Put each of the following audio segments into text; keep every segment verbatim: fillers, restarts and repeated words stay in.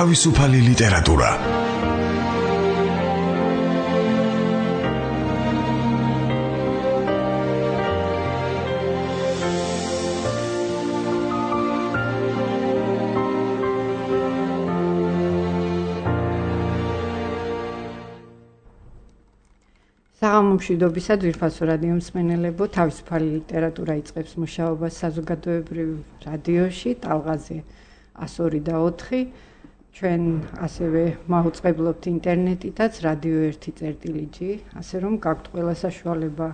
თავისუფალი ლიტერატურა. საღამომშვიდობისა ძვირფასო რადიო მსმენელებო, თავისუფალი ლიტერატურა იწყებს მუშაობას საზოგადოებრივ რადიოში, ტალღაზე ას ორი და ოთხი. ჩვენ ასევე მაუწყებლობთ ინტერნეტითაც რადიო ერთი წერტილი ჯი, ასე რომ გაქვთ ყველა საშუალება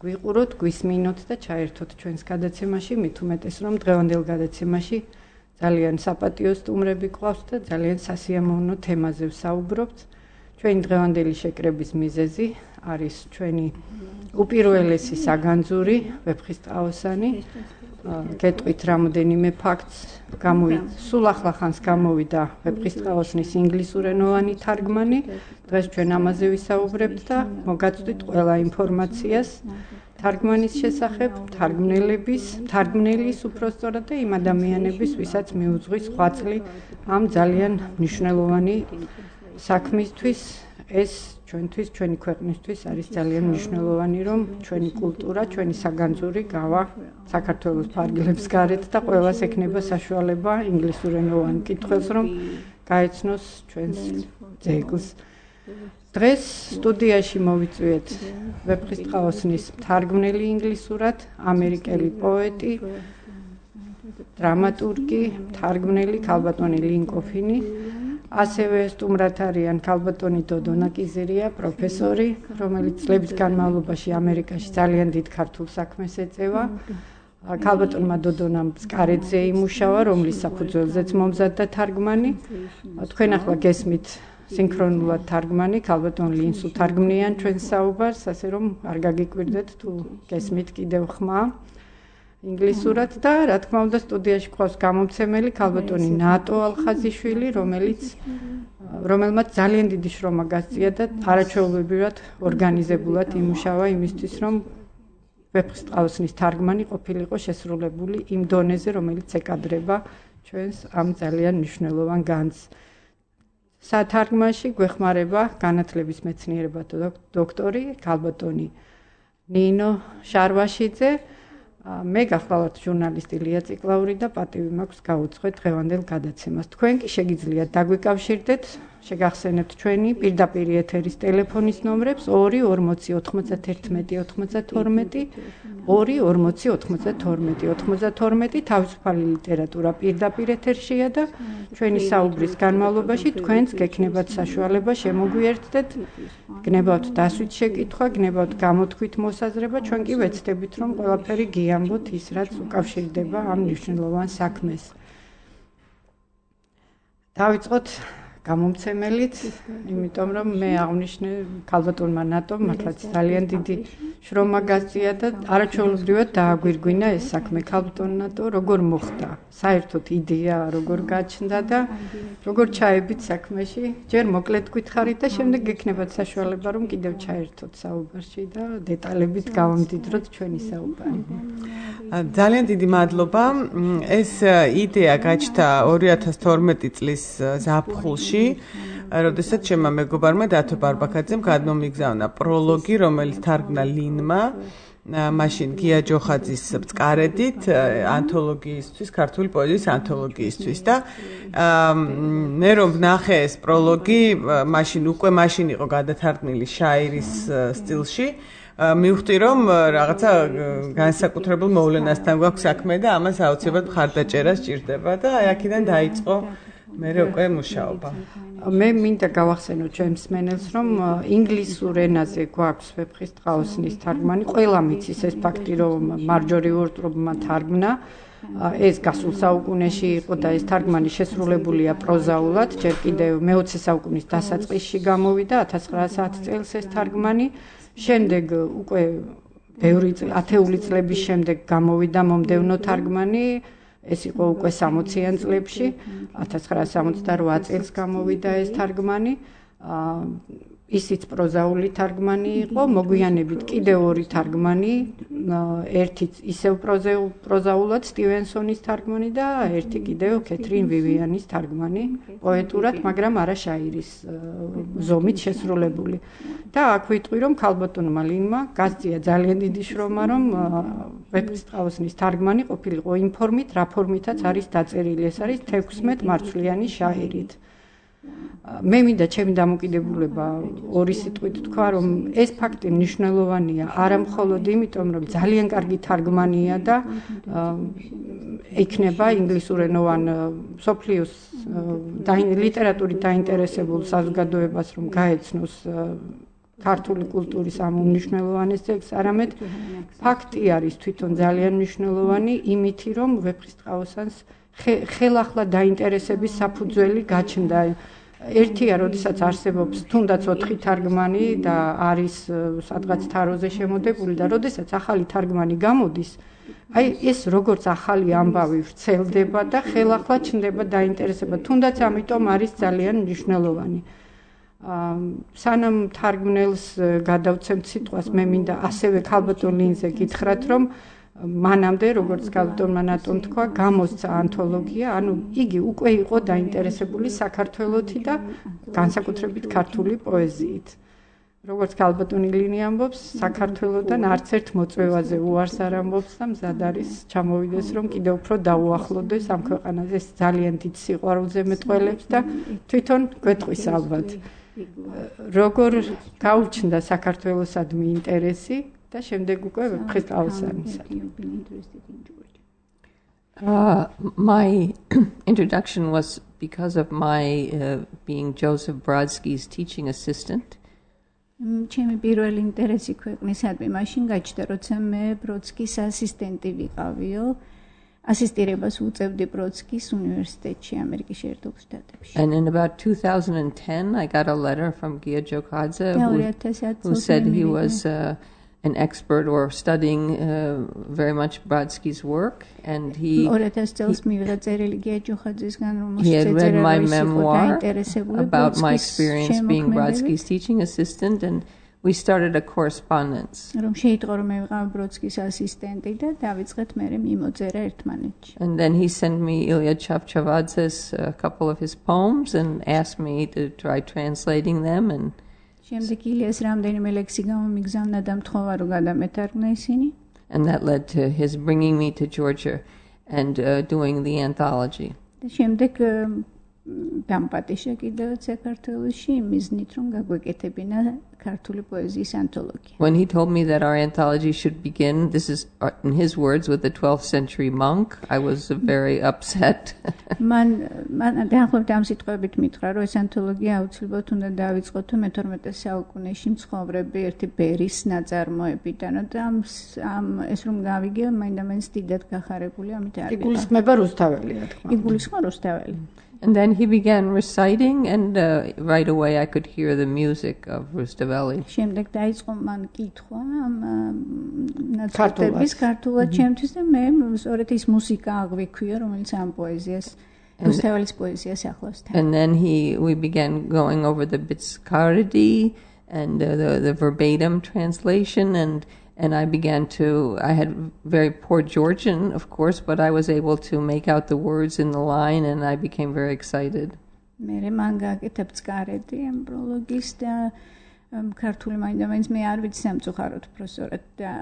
გვიყუროთ, გვისმინოთ და ჩაერთოთ ჩვენს გადაცემაში, მით უმეტეს რომ დღევანდელ გადაცემაში ძალიან საპატიო სტუმრები გვყავთ და ძალიან სასიამოვნო თემაზე ვსაუბრობთ. ჩვენი დღევანდელი შეკრების მიზეზი არის ჩვენი უპირველესი საგანძური ვეფხისტყაოსანი. გეტყვით რამოდენიმე ფაქტს, გამოვიდა სულ ახლახანს გამოვიდა ვეფხისტყაოსნის ინგლისურენოვანი თარგმანი. დღეს ჩვენ ამაზე ვისაუბრებთ და მოგაწვდით ყველა ინფორმაციას თარგმანის შესახებ, თარგმნელების, თარგმნელის უпростоრად და იმ ადამიანების, ვისაც მიუძღვის ღვაწლი ამ ძალიან მნიშვნელოვანი საქმისთვის. ეს ჩვენთვის, ჩვენი ქვეყნისთვის არის ძალიან მნიშვნელოვანი, რომ ჩვენი კულტურა, ჩვენი საგანძური გავა საქართველოს ფარგლებს გარეთ და ყველას ექნება საშუალება ინგლისურენოვან კითხვებს, რომ გაეცნოს ჩვენს ძეგლს. დღეს სტუდიაში მოვიწვიეთ ვეფხისტყაოსნის თარგმნელი ინგლისურად, ამერიკელი პოეტი, დრამატურგი, თარგმნელი ქალბატონი ლინკოფინი. ასევე სტუმრად არიან ქალბატონი დოდო ნაკიზირია, პროფესორი, რომელიც წლების განმავლობაში ამერიკაში ძალიან დიდ ქართულ საქმეს ეწევა. ქალბატონმა დოდონამ სკარეძე იმუშავა, რომლის საფუძველზეც მომზადდა თარგმანი. თქვენ ახლა გესმით სინქრონულად თარგმანი, ქალბატონ ლინს უთარგმნიან ჩვენს საუბარს, ასე რომ არ გაგიკვირდეთ თუ გესმით კიდევ ხმა ინგლისურად და რა თქმა უნდა სტუდიაში გვყავს გამომცემელი ქალბატონი ნატო ალხაზიშვილი, რომელიც რომელმაც ძალიან დიდი შრომა გასწია და არაჩვეულებრივად ორგანიზებულად იმუშავა იმისთვის, რომ ვეფხისტყაოსნის თარგმანი ყოფილიყო შესრულებული იმ დონეზე, რომელიც ეკადრება ჩვენს ამ ძალიან მნიშვნელოვან განძს. სათარგმანში გვეხმარება განათლების მეცნიერებათა დოქტორი ქალბატონი ნინო შარვაშიძე. მე გახლავართ ჟურნალისტი ლია ციკლაური და პატივი მაქვს გაუძღვეთ დღევანდელ გადაცემას. თქვენ კი შეგიძლიათ დაგვიკავშირდეთ, შეგახსენებთ ჩვენი პირდაპირ ეთერის ტელეფონის ნომრებს ორი ორმოცი ოთხმოცდაერთმეტი ოცდათორმეტი, ორი ორმოცი ოცდათორმეტი ოცდათორმეტი. თავისუფალი ლიტერატურა პირდაპირ ეთერშია და ჩვენი საუბრის განმავლობაში თქვენც გექნებათ საშუალება შემოგვიერთდეთ, გნებავთ დასვით შეკითხვა, გნებავთ გამოთქვით მოსაზრება, ჩვენ კი ვეცდებით, რომ ყველაფერი გიამბოთ ის, რაც უკავშირდება ამ მნიშვნელოვან საქმეს. დავიწყოთ გამომცემელით, იმიტომ რომ მე აღნიშნე ქალბატონმა ნატომ მართლაც ძალიან დიდი შრომა გასწია და არაჩვეულებრივად დააგვირგვინა ეს საქმე. ქალბატონ ნატო როგორ მოხდა? საერთოდ იდეა როგორ გაჩნდა და როგორ ჩაებით საქმეში? ჯერ მოკლედ გითხარით და შემდეგ გექნებათ საშუალება, რომ კიდევ ჩაერთოთ საუბარში და დეტალებით გავამდიდროთ ჩვენი საუბარი. ძალიან დიდი მადლობა. ეს იდეა გაჩნდა ორი ათას თორმეტი წლის ზაფხულში, როდესაც ჩემმა მეგობარმა დათო ბარბაქაძემ გადმომიგზავნა პროლოგი, რომელიც თარგმნა ლინმა, მაშინ გია ჯოხაძის ბწყარედით ანთოლოგიისთვის, ქართული პოეზიის ანთოლოგიისთვის და მე რომ ვნახე ეს პროლოგი, მაშინ უკვე მაშინ იყო გადათარგმნილი შაირის სტილში. მივხვდი რომ რაღაცა განსაკუთრებულ მოვლენასთან გვაქვს საქმე და ამას აუცილებლად მხარდაჭერა სჭირდება და აი აქედან დაიწყო მე უკვე მუშაობა. მე მინდა გავახსენო ჩემს მსმენელს, რომ ინგლისურ ენაზე გვაქვს ვეფხისტყაოსნის თარგმანი. ყველა მიცის ეს ფაქტი, რომ მარჯორი უორტრობმა თარგმნა. ეს გასულ საუკუნეში იყო და ეს თარგმანი შესრულებულია პროზაულად. ჯერ კიდევ მეოცე საუკუნის დასაწყისში გამოვიდა ათას ცხრაასი წელს ეს თარგმანი. შემდეგ უკვე ბევრი ათეული წლების შემდეგ გამოვიდა მომდევნო თარგმანი. ეს იყო უკვე სამოციან წლებში, ათას ცხრაასი სამოცდარვა წელს გამოვიდა ეს თარგმანი. ისიც პროზაული თარგმანი იყო, მოგვიანებით კიდევ ორი თარგმანი ერთი ისევ პროზაულად სტივენსონის თარგმანი და ერთი კიდევ კეთრინ ვივიანის თარგმანი პოეტურად, მაგრამ არა შაირის ზომით შესრულებული. და აქ ვიტყვი, რომ ქალბატონმა ლინმა გასწია ძალიან დიდი შრომა, რომ ვეფხისტყაოსნის თარგმანი ყოფილიყო იმ ფორმით, რა ფორმითაც არის დაწერილი. ეს არის თექვსმეტ მარცვლიანი შაირით. მე მინდა ჩემი დამოკიდებულება ორი სიტყვით თქვა, რომ ეს ფაქტი მნიშვნელოვანია არა მხოლოდ იმიტომ, რომ ძალიან კარგი თარგმანია და იქნება ინგლისურენოვან მსოფლიოს ლიტერატურით დაინტერესებულ საზოგადოებას, რომ გაეცნოს ქართული კულტურის ამ უმნიშვნელოვანეს ძეგლს, არამედ ფაქტი არის თვითონ ძალიან მნიშვნელოვანი იმითი, რომ ვეფხისტყაოსანს ხელახლა დაინტერესების საფუძველი გაჩნდა. ერთია, როდესაც არსებობს თუნდაც ოთხი თარგმანი და არის სადღაც თაროზე შემოდებული და როდესაც ახალი თარგმანი გამოდის, აი ეს როგორც ახალი ამბავი ვრცელდება და ხელახლა ჩნდება დაინტერესება, თუნდაც ამიტომ არის ძალიან მნიშვნელოვანი. სანამ თარგმნელს გადავცემთ სიტყვას, მე მინდა ასევე ქალბატონ ლინზე გითხრათ, რომ მანამდე, როგორც ქალბატონმა ნატომ თქვა, გამოსცა ანთოლოგია, ანუ იგი უკვე იყო დაინტერესებული საქართველოთი და განსაკუთრებით ქართული პოეზიით. როგორც ქალბატონი ლინი ამბობს, საქართველოდან არც ერთ მოწვევაზე უარს არ ამბობს და მზად არის ჩამოვიდეს, რომ კიდევ უფრო დაუახლოვდეს ამ ქვეყანაზე. ეს ძალიან დიდ სიყვარულზე მეტყველებს და თვითონ გვეტყვის ალბათ. როგორ გაუჩნდა საქართველოსადმი ინტერესი და შემდეგ უკვე ვეფხისტყაოსანისა. Uh, my introduction was because of my uh, being Joseph Brodsky's teaching assistant. ჩემი პირველი ინტერესი ქვეყნისადმი მაშინ გაჩნდა, როცა მე ბროდსკის ასისტენტი ვიყავიო. ასისტირებას უწევდი ბროდსკის უნივერსიტეტში, ამერიკის შეერთებულ შტატებში. And in about two thousand ten, I got a letter from Gia Jokadze, who, who said he was uh, an expert or studying uh, very much Brodsky's work, and he, he, he had read my memoir about my experience being Brodsky's teaching assistant, and we started a correspondence. And then he sent me Ilya Chavchavadze's a uh, couple of his poems and asked me to try translating them, and შემდეგ ილიას რამდენიმე ლექსი გამომიგზავნა და მთხოვა რომ გადამეთარგმნა ისინი. And that led to his bringing me to Georgia and uh, doing the anthology. და შემდეგ დამპატიშა კიდევ საქართველოში მიზნით რომ გაგვეკეთებინა ქართული პოეზიის ანთოლოგია. When he told me that our anthology should begin, this is in his words, with the twelfth century monk, I was very upset. Man man დაახლოებით ამ სიტყვებით მითხრა, რომ ეს ანთოლოგია აუცილებლად უნდა დავიწყოთ მეთორმეტე საუკუნეში მცხოვრები ერთი ბერის ნაწარმოებიდან და ამ ეს რომ გავიგე, მაინდა-მაინც დიდად გახარებული, ამით არ ვიყავ. იგულისხმება რუსთაველია თქმა. იგულისხმა რუსთაველი. And then he began reciting, and uh, right away I could hear the music of Rustaveli. შემდეგ დაიწყო მან კითხვა ამ ნაწარმოების ქართულად ჩემთვის და მე სწორედ ის მუსიკა აღვიქვია, რომელიც ამ პოეზიას რუსთაველის პოეზიას ახლავს თან. And then he we began going over the Bitskaridi and uh, the the verbatim translation, and and I began to, I had very poor Georgian, of course, but I was able to make out the words in the line, and I became very excited. მერე მან გააკეთა ბცკარეთი ამ პროლოგის და ქართული მაინდა-მაინც მე არ ვიცი სამწუხაროდ პროფესორად და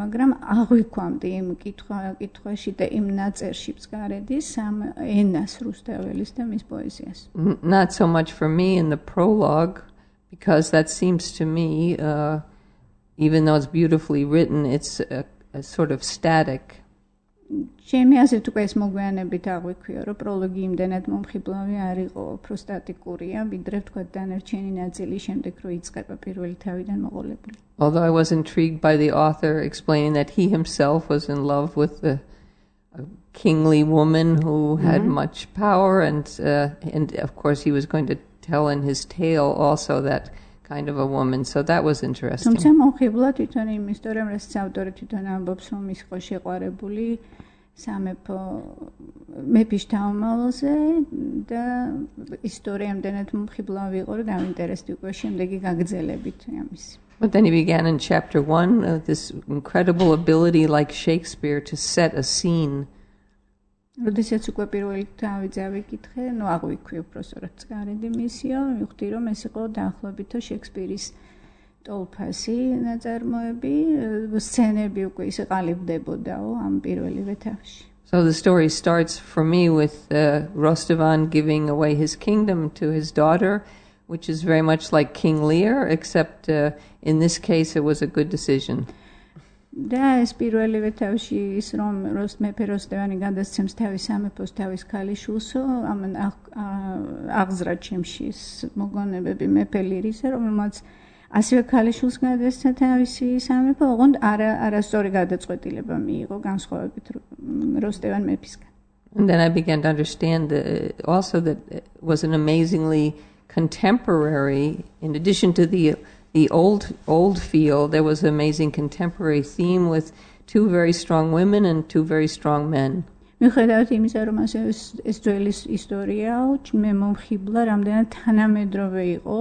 მაგრამ აღვიქვამდი იმ კითხვა კითხვაში და იმ ნაწერში ბცკარედის ამ ენას რუსთაველის და მის პოეზიას. Not so much for me in the prologue, because that seems to me uh, even though it's beautifully written, it's a, a sort of static. ჩემი აზრით უკვე ეს მოგვიანებით აღვიქვია, რომ პროლოგი იმდენად მომხიბლავი არ იყო, უფრო სტატიკურია, ვიდრე თქვა დანარჩენი ნაწილი შემდეგ რო იწყება პირველი თავიდან მოყოლებული. Although I was intrigued by the author explaining that he himself was in love with the a kingly woman who had mm-hmm. much power, and uh, and of course he was going to tell in his tale also that kind of a woman, so that was interesting. თუმცა მომხიბლა თვითონ იმ ისტორიამ, რასაც ავტორი თვითონ ამბობს, რომ ის იყო შეყვარებული სამეფო მეფის თავმალზე და ისტორია იმდენად მომხიბლავი იყო, რომ დაინტერესდი უკვე შემდეგი გაგრძელებით ამის. But then he began in chapter one uh, this incredible ability like Shakespeare to set a scene. როდესაც უკვე პირველი თავი წავიკითხე, ნუ აღვიქვი უბრალოდ წარედი მისიო, მივხვდი რომ ეს იყო დაახლოებითო შექსპირის ტოლფასი ნაწარმოები, სცენები უკვე ისე ყალიბდებოდაო ამ პირველივე თავში. So the story starts for me with uh, Rostavan giving away his kingdom to his daughter, which is very much like King Lear, except uh, in this case it was a good decision. და ეს პირველივე თავში ის რომ როსტ მეფე როსტევანი გადასცემს თავის სამეფოს თავის ქალიშვილსო, ამან აღზრა ჩემში მოგონებები მეფე ლირისა, რომელმაც ასევე ქალიშვილს გადასცა თავისი სამეფო, ოღონდ არა არასწორი გადაწყვეტილება მიიღო განსხვავებით როსტევან მეფისგან. And then I began to understand uh, also that it was an amazingly contemporary, in addition to the the old old feel, there was an amazing contemporary theme with two very strong women and two very strong men. მიუხედავად იმისა, რომ ეს ძველი ისტორიაა, მე მომხიბლა, რამდენად თანამედროვე იყო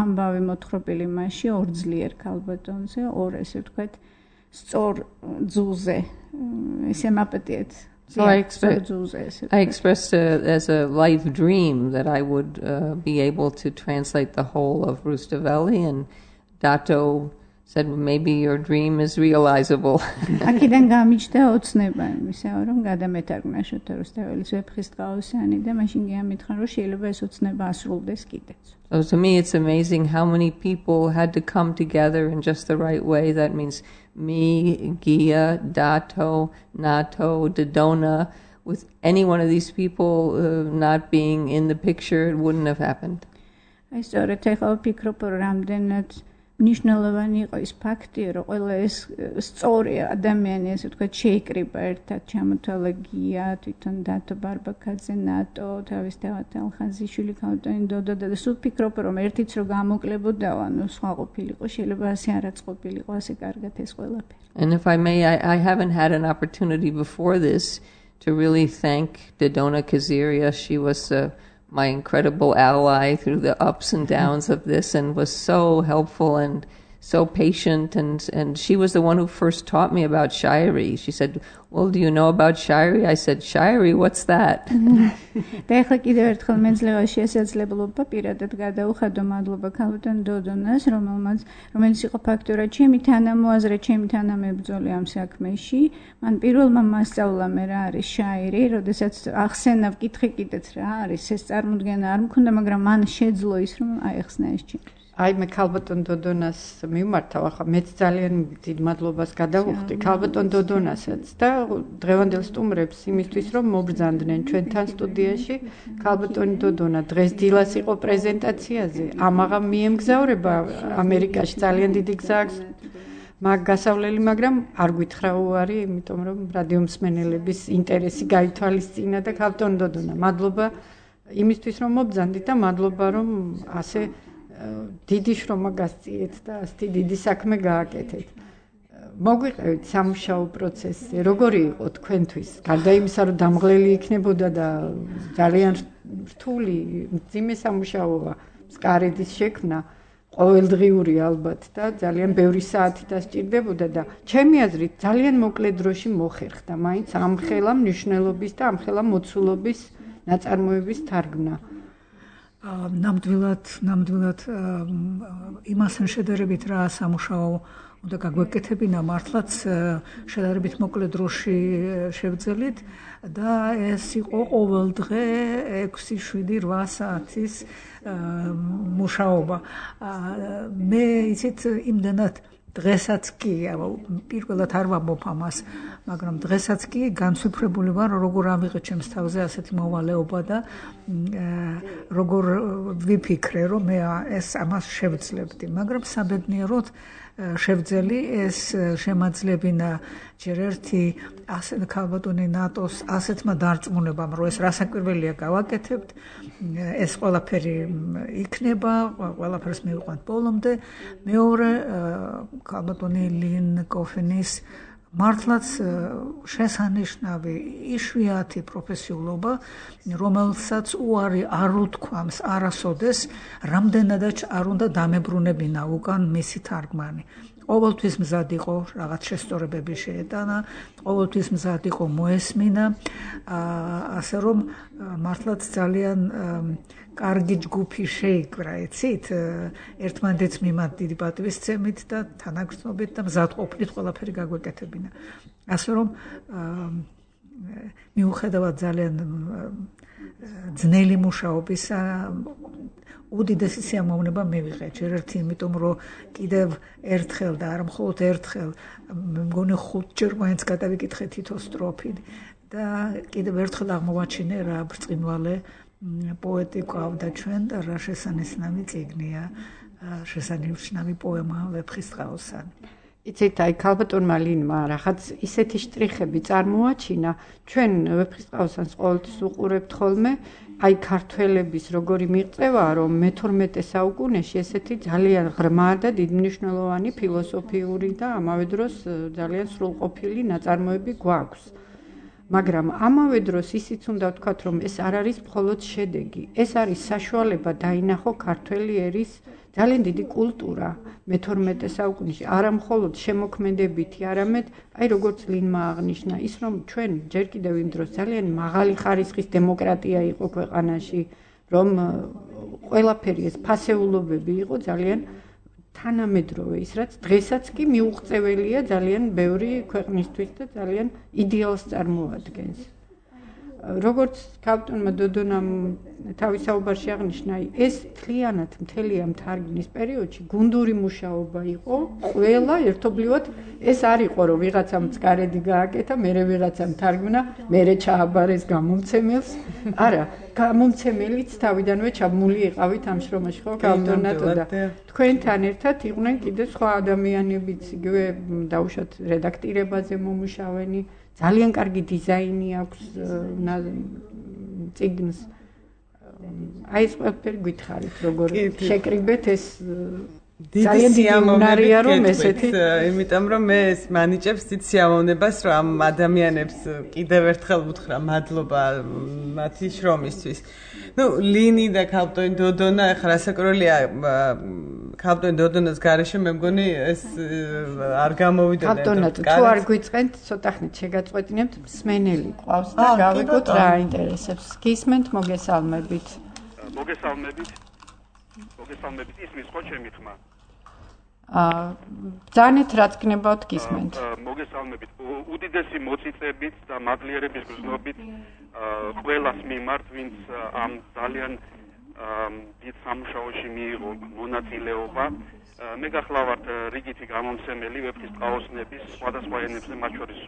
ამბავი მოთხრობილი მასში ორ ძლიერ ქალბატონზე, ორ ესე ვთქვათ, სწორ ძუზე, ესე მაპატიეთ. So I, expe- I expressed uh, as a life dream that I would uh, be able to translate the whole of Rustaveli, and Dato said, well, maybe your dream is realizable. აქედან გამიჩნდა ოცნება იმისა, რომ გადამეთარგმნა შოთა რუსტეველის ვეფხისტყაოსანი და მაშინ გიამითხრა, რომ შეიძლება ეს ოცნება ასრულდეს კიდეც. So to me it's amazing how many people had to come together in just the right way. That means me, Gia, Dato, Nato, Dodona. With any one of these people uh, not being in the picture, it wouldn't have happened. აი სწორედ ეხლა ვფიქრობ, რამდენად მნიშვნელოვანი იყო ის ფაქტი, რომ ყველა ეს სწორი ადამიანი, ესე ვთქვათ, შეიკრიბა ერთად, ჩამოთვალა გია, თვითონ დათო ბარბაკაძე, ნატო, თავის თავად ალხაზიშვილი, ქალბატონი დოდო და სულ ვფიქრობ, რომ ერთიც რო გამოკლებოდაო, ანუ სხვა ყოფილიყო, შეიძლება ასე არაც ყოფილიყო, ასე კარგად ეს ყველაფერი. And if I may, I, I haven't had an opportunity before this to really thank Dodona Kaziria. She was uh, my incredible ally through the ups and downs of this, and was so helpful and so patient, and and she was the one who first taught me about Shairi. She said, well, do you know about Shairi? I said, Shairi, what's that? და ეხლა კიდევ ერთხელ მეძლევა შესაძლებლობა პირადად გადაუხადო მადლობა ქალბატონ დოდონას, რომელმაც რომელიც იყო ფაქტურად ჩემი თანამოაზრე, ჩემი თანამებრძოლი ამ საქმეში. მან პირველმა მასწავლა მე რა არის შაირი, როდესაც ახსენა ვკითხე კიდეც რა არის, ეს წარმოდგენა არ მქონდა, მაგრამ მან შეძლო ის, რომ აეხსნა ეს ჩემს. აი მე ქალბატონ დოდონას მიმართავ, ახლა მეც ძალიან დიდ მადლობას გადავუხდი ქალბატონ დოდონასაც და დღევანდელ სტუმრებს იმისთვის, რომ მობრძანდნენ ჩვენთან სტუდიაში. ქალბატონი დოდონა დღეს დილას იყო პრეზენტაციაზე, ამაღამ მიემგზავრება ამერიკაში, ძალიან დიდი გზა აქვს მაგ გასავლელი, მაგრამ არ გითხრა უარი, იმიტომ რომ რადიო მსმენელების ინტერესი გაითვალისწინა და ქალბატონ დოდონა, მადლობა იმისთვის, რომ მობრძანდით და მადლობა, რომ ასე დიდი შრომა გასწიეთ და ასეთი დიდი საქმე გააკეთეთ. მოგვიყევით სამუშაო პროცესზე, როგორი იყო თქვენთვის? გარდა იმისა, რომ დამღლელი იქნებოდა და ძალიან რთული, მძიმე სამუშაოა, სკარედის შექმნა, ყოველდღიური ალბათ და ძალიან ბევრი საათი დასჭირდებოდა და ჩემი აზრით ძალიან მოკლე დროში მოხერხდა მაინც ამ ხელა მნიშვნელობის და ამ ხელა მოცულობის ნაწარმოების თარგმნა. ნამდვილად ნამდვილად იმასთან შედარებით რა სამუშაო უნდა გაგვეკეთებინა, მართლაც შედარებით მოკლე დროში შევძელით და ეს იყო ყოველდღე ექვსი, შვიდი, რვა საათის მუშაობა. მე იცით იმდანად დღესაც კი, პირველად არ ვამბობ ამას, მაგრამ დღესაც კი განსვიფრებული ვარ, როგორ ამიღე ჩემს თავზე ასეთი მოვალეობა და როგორ ვიფიქრე, რომ მე ეს ამას შევძლებდი, მაგრამ საბედნიეროდ შევძელი ეს შემაძლებინა ჯერ ერთი ასე ქალბატონი ნატოს ასეთმა დარწმუნებამ, რომ ეს რასაკვირველია გავაკეთებთ, ეს ყველაფერი იქნება, ყველაფერს მივიყვანთ ბოლომდე. მეორე ქალბატონი ლინ კოფენის მართლაც შესანიშნავი იშვიათი პროფესიულობა, რომელსაც უარი არ უთქვამს არასოდეს, რამდენადაც არ უნდა დამებრუნებინა უკან მისი თარგმანი. ყოველთვის მზად იყო რაღაც შესწორებები შეეტანა, ყოველთვის მზად იყო მოესმინა, ასე რომ მართლაც ძალიან კარგი ჯგუფი შეიკრა, იცით, ერთმანეთს მიმართ დიდი პატივისცემით და თანაგრძნობით და მზად ყოფნით ყველაფერი გაგვეკეთებინა. ასე რომ მიუხედავად ძალიან ძნელი მუშაობისა, უდიდესი სიამოვნება მივიღე, ჯერ ერთი იმიტომ, რომ კიდევ ერთხელ და არა მხოლოდ ერთხელ, მე მგონი ხუთჯერ მაინც გადავიკითხე თითო სტროფი და კიდევ ერთხელ აღმოვაჩინე რა ბრწყინვალე პოეტი გვყავდა ჩვენ და რა შესანიშნავი წიგნია, შესანიშნავი პოემა ვეფხისტყაოსანი. იცით, აი ქალბატონმა ლინმა რაღაც ისეთი შტრიხები წარმოაჩინა, ჩვენ ვეფხისტყაოსანს ყოველთვის უყურებთ ხოლმე, აი ქართველების როგორი მიღწევაა, რომ მეთორმეტე საუკუნეში ესეთი ძალიან ღრმა და დიდმნიშვნელოვანი ფილოსოფიური და ამავე დროს ძალიან სრულყოფილი ნაწარმოები გვაქვს. მაგრამ ამავე დროს ისიც უნდა ვთქვათ, რომ ეს არ არის მხოლოდ შედეგი, ეს არის საშუალება დაინახო ქართველი ერის ძალიან დიდი კულტურა მეთორმეტე საუკუნეში, არა მხოლოდ შემოქმედებითი, არამედ აი როგორც ლინმა აღნიშნა, ის რომ ჩვენ ჯერ კიდევ იმ დროს ძალიან მაღალი ხარისხის დემოკრატია იყო ქვეყანაში, რომ ყველაფერი ეს ფასეულობები იყო ძალიან თანამედროვე, ის რაც დღესაც კი მიუღწეველია ძალიან ბევრი ქვეყნისთვის და ძალიან იდეალს წარმოადგენს. როგორც ქალბატონმა დოდონამ თავის საუბარში აღნიშნა, ეს მთლიანად მთელი ამ თარგმნის პერიოდში გუნდური მუშაობა იყო, ყველა ერთობლივად ეს არ იყო, რომ ვიღაცამ წყარედი გააკეთა, მერე ვიღაცამ თარგმნა, მერე ჩააბარეს გამომცემელს. არა, გამომცემელიც თავიდანვე ჩაბმული იყავით ამ შრომაში, ხო, ქალბატონატო და თქვენთან ერთად იყვნენ კიდე სხვა ადამიანებიც, იგივე დაუშვათ რედაქტირებაზე მომუშავენი. ძალიან კარგი დიზაინი აქვს წიგნს. აი ეს ყველაფერი გითხარით, როგორ შეკრიბეთ ეს ძალიან სიამოვნებაა რომ ესეთი, იმიტომ რომ მე ეს მანიჭებს დიდ სიამოვნებას, რომ ამ ადამიანებს კიდევ ერთხელ ვუთხრა მადლობა მათი შრომისთვის. ნუ ლინი და ქალბატონი დოდონა, ახლა რასაკვირველია, ქალბატონი დოდონას გარეშე მე მგონი ეს არ გამოვიდოდა. ქალბატონად თუ არ გვიწყენთ, ცოტა ხნით შეგაწყვეტინებთ, მსმენელი ყავს და გავიგოთ რა აინტერესებს. გისმენთ, მოგესალმებით. მოგესალმებით. მოგესალმებით, ისმის ხო ჩემი ხმა? აა ძანეთ რაც გნებავთ გისმენთ. მოგესალმებით. უდიდესი მოწიწებით და მადლიერების გზნობით ყველას მიმართ, ვინც ამ ძალიან დიდ სამუშაოში მიიღო მონაწილეობა. მე გახლავართ რიგითი გამომცემელი ვეფხისტყაოსნების სხვადასხვა ენებზე, მათ შორის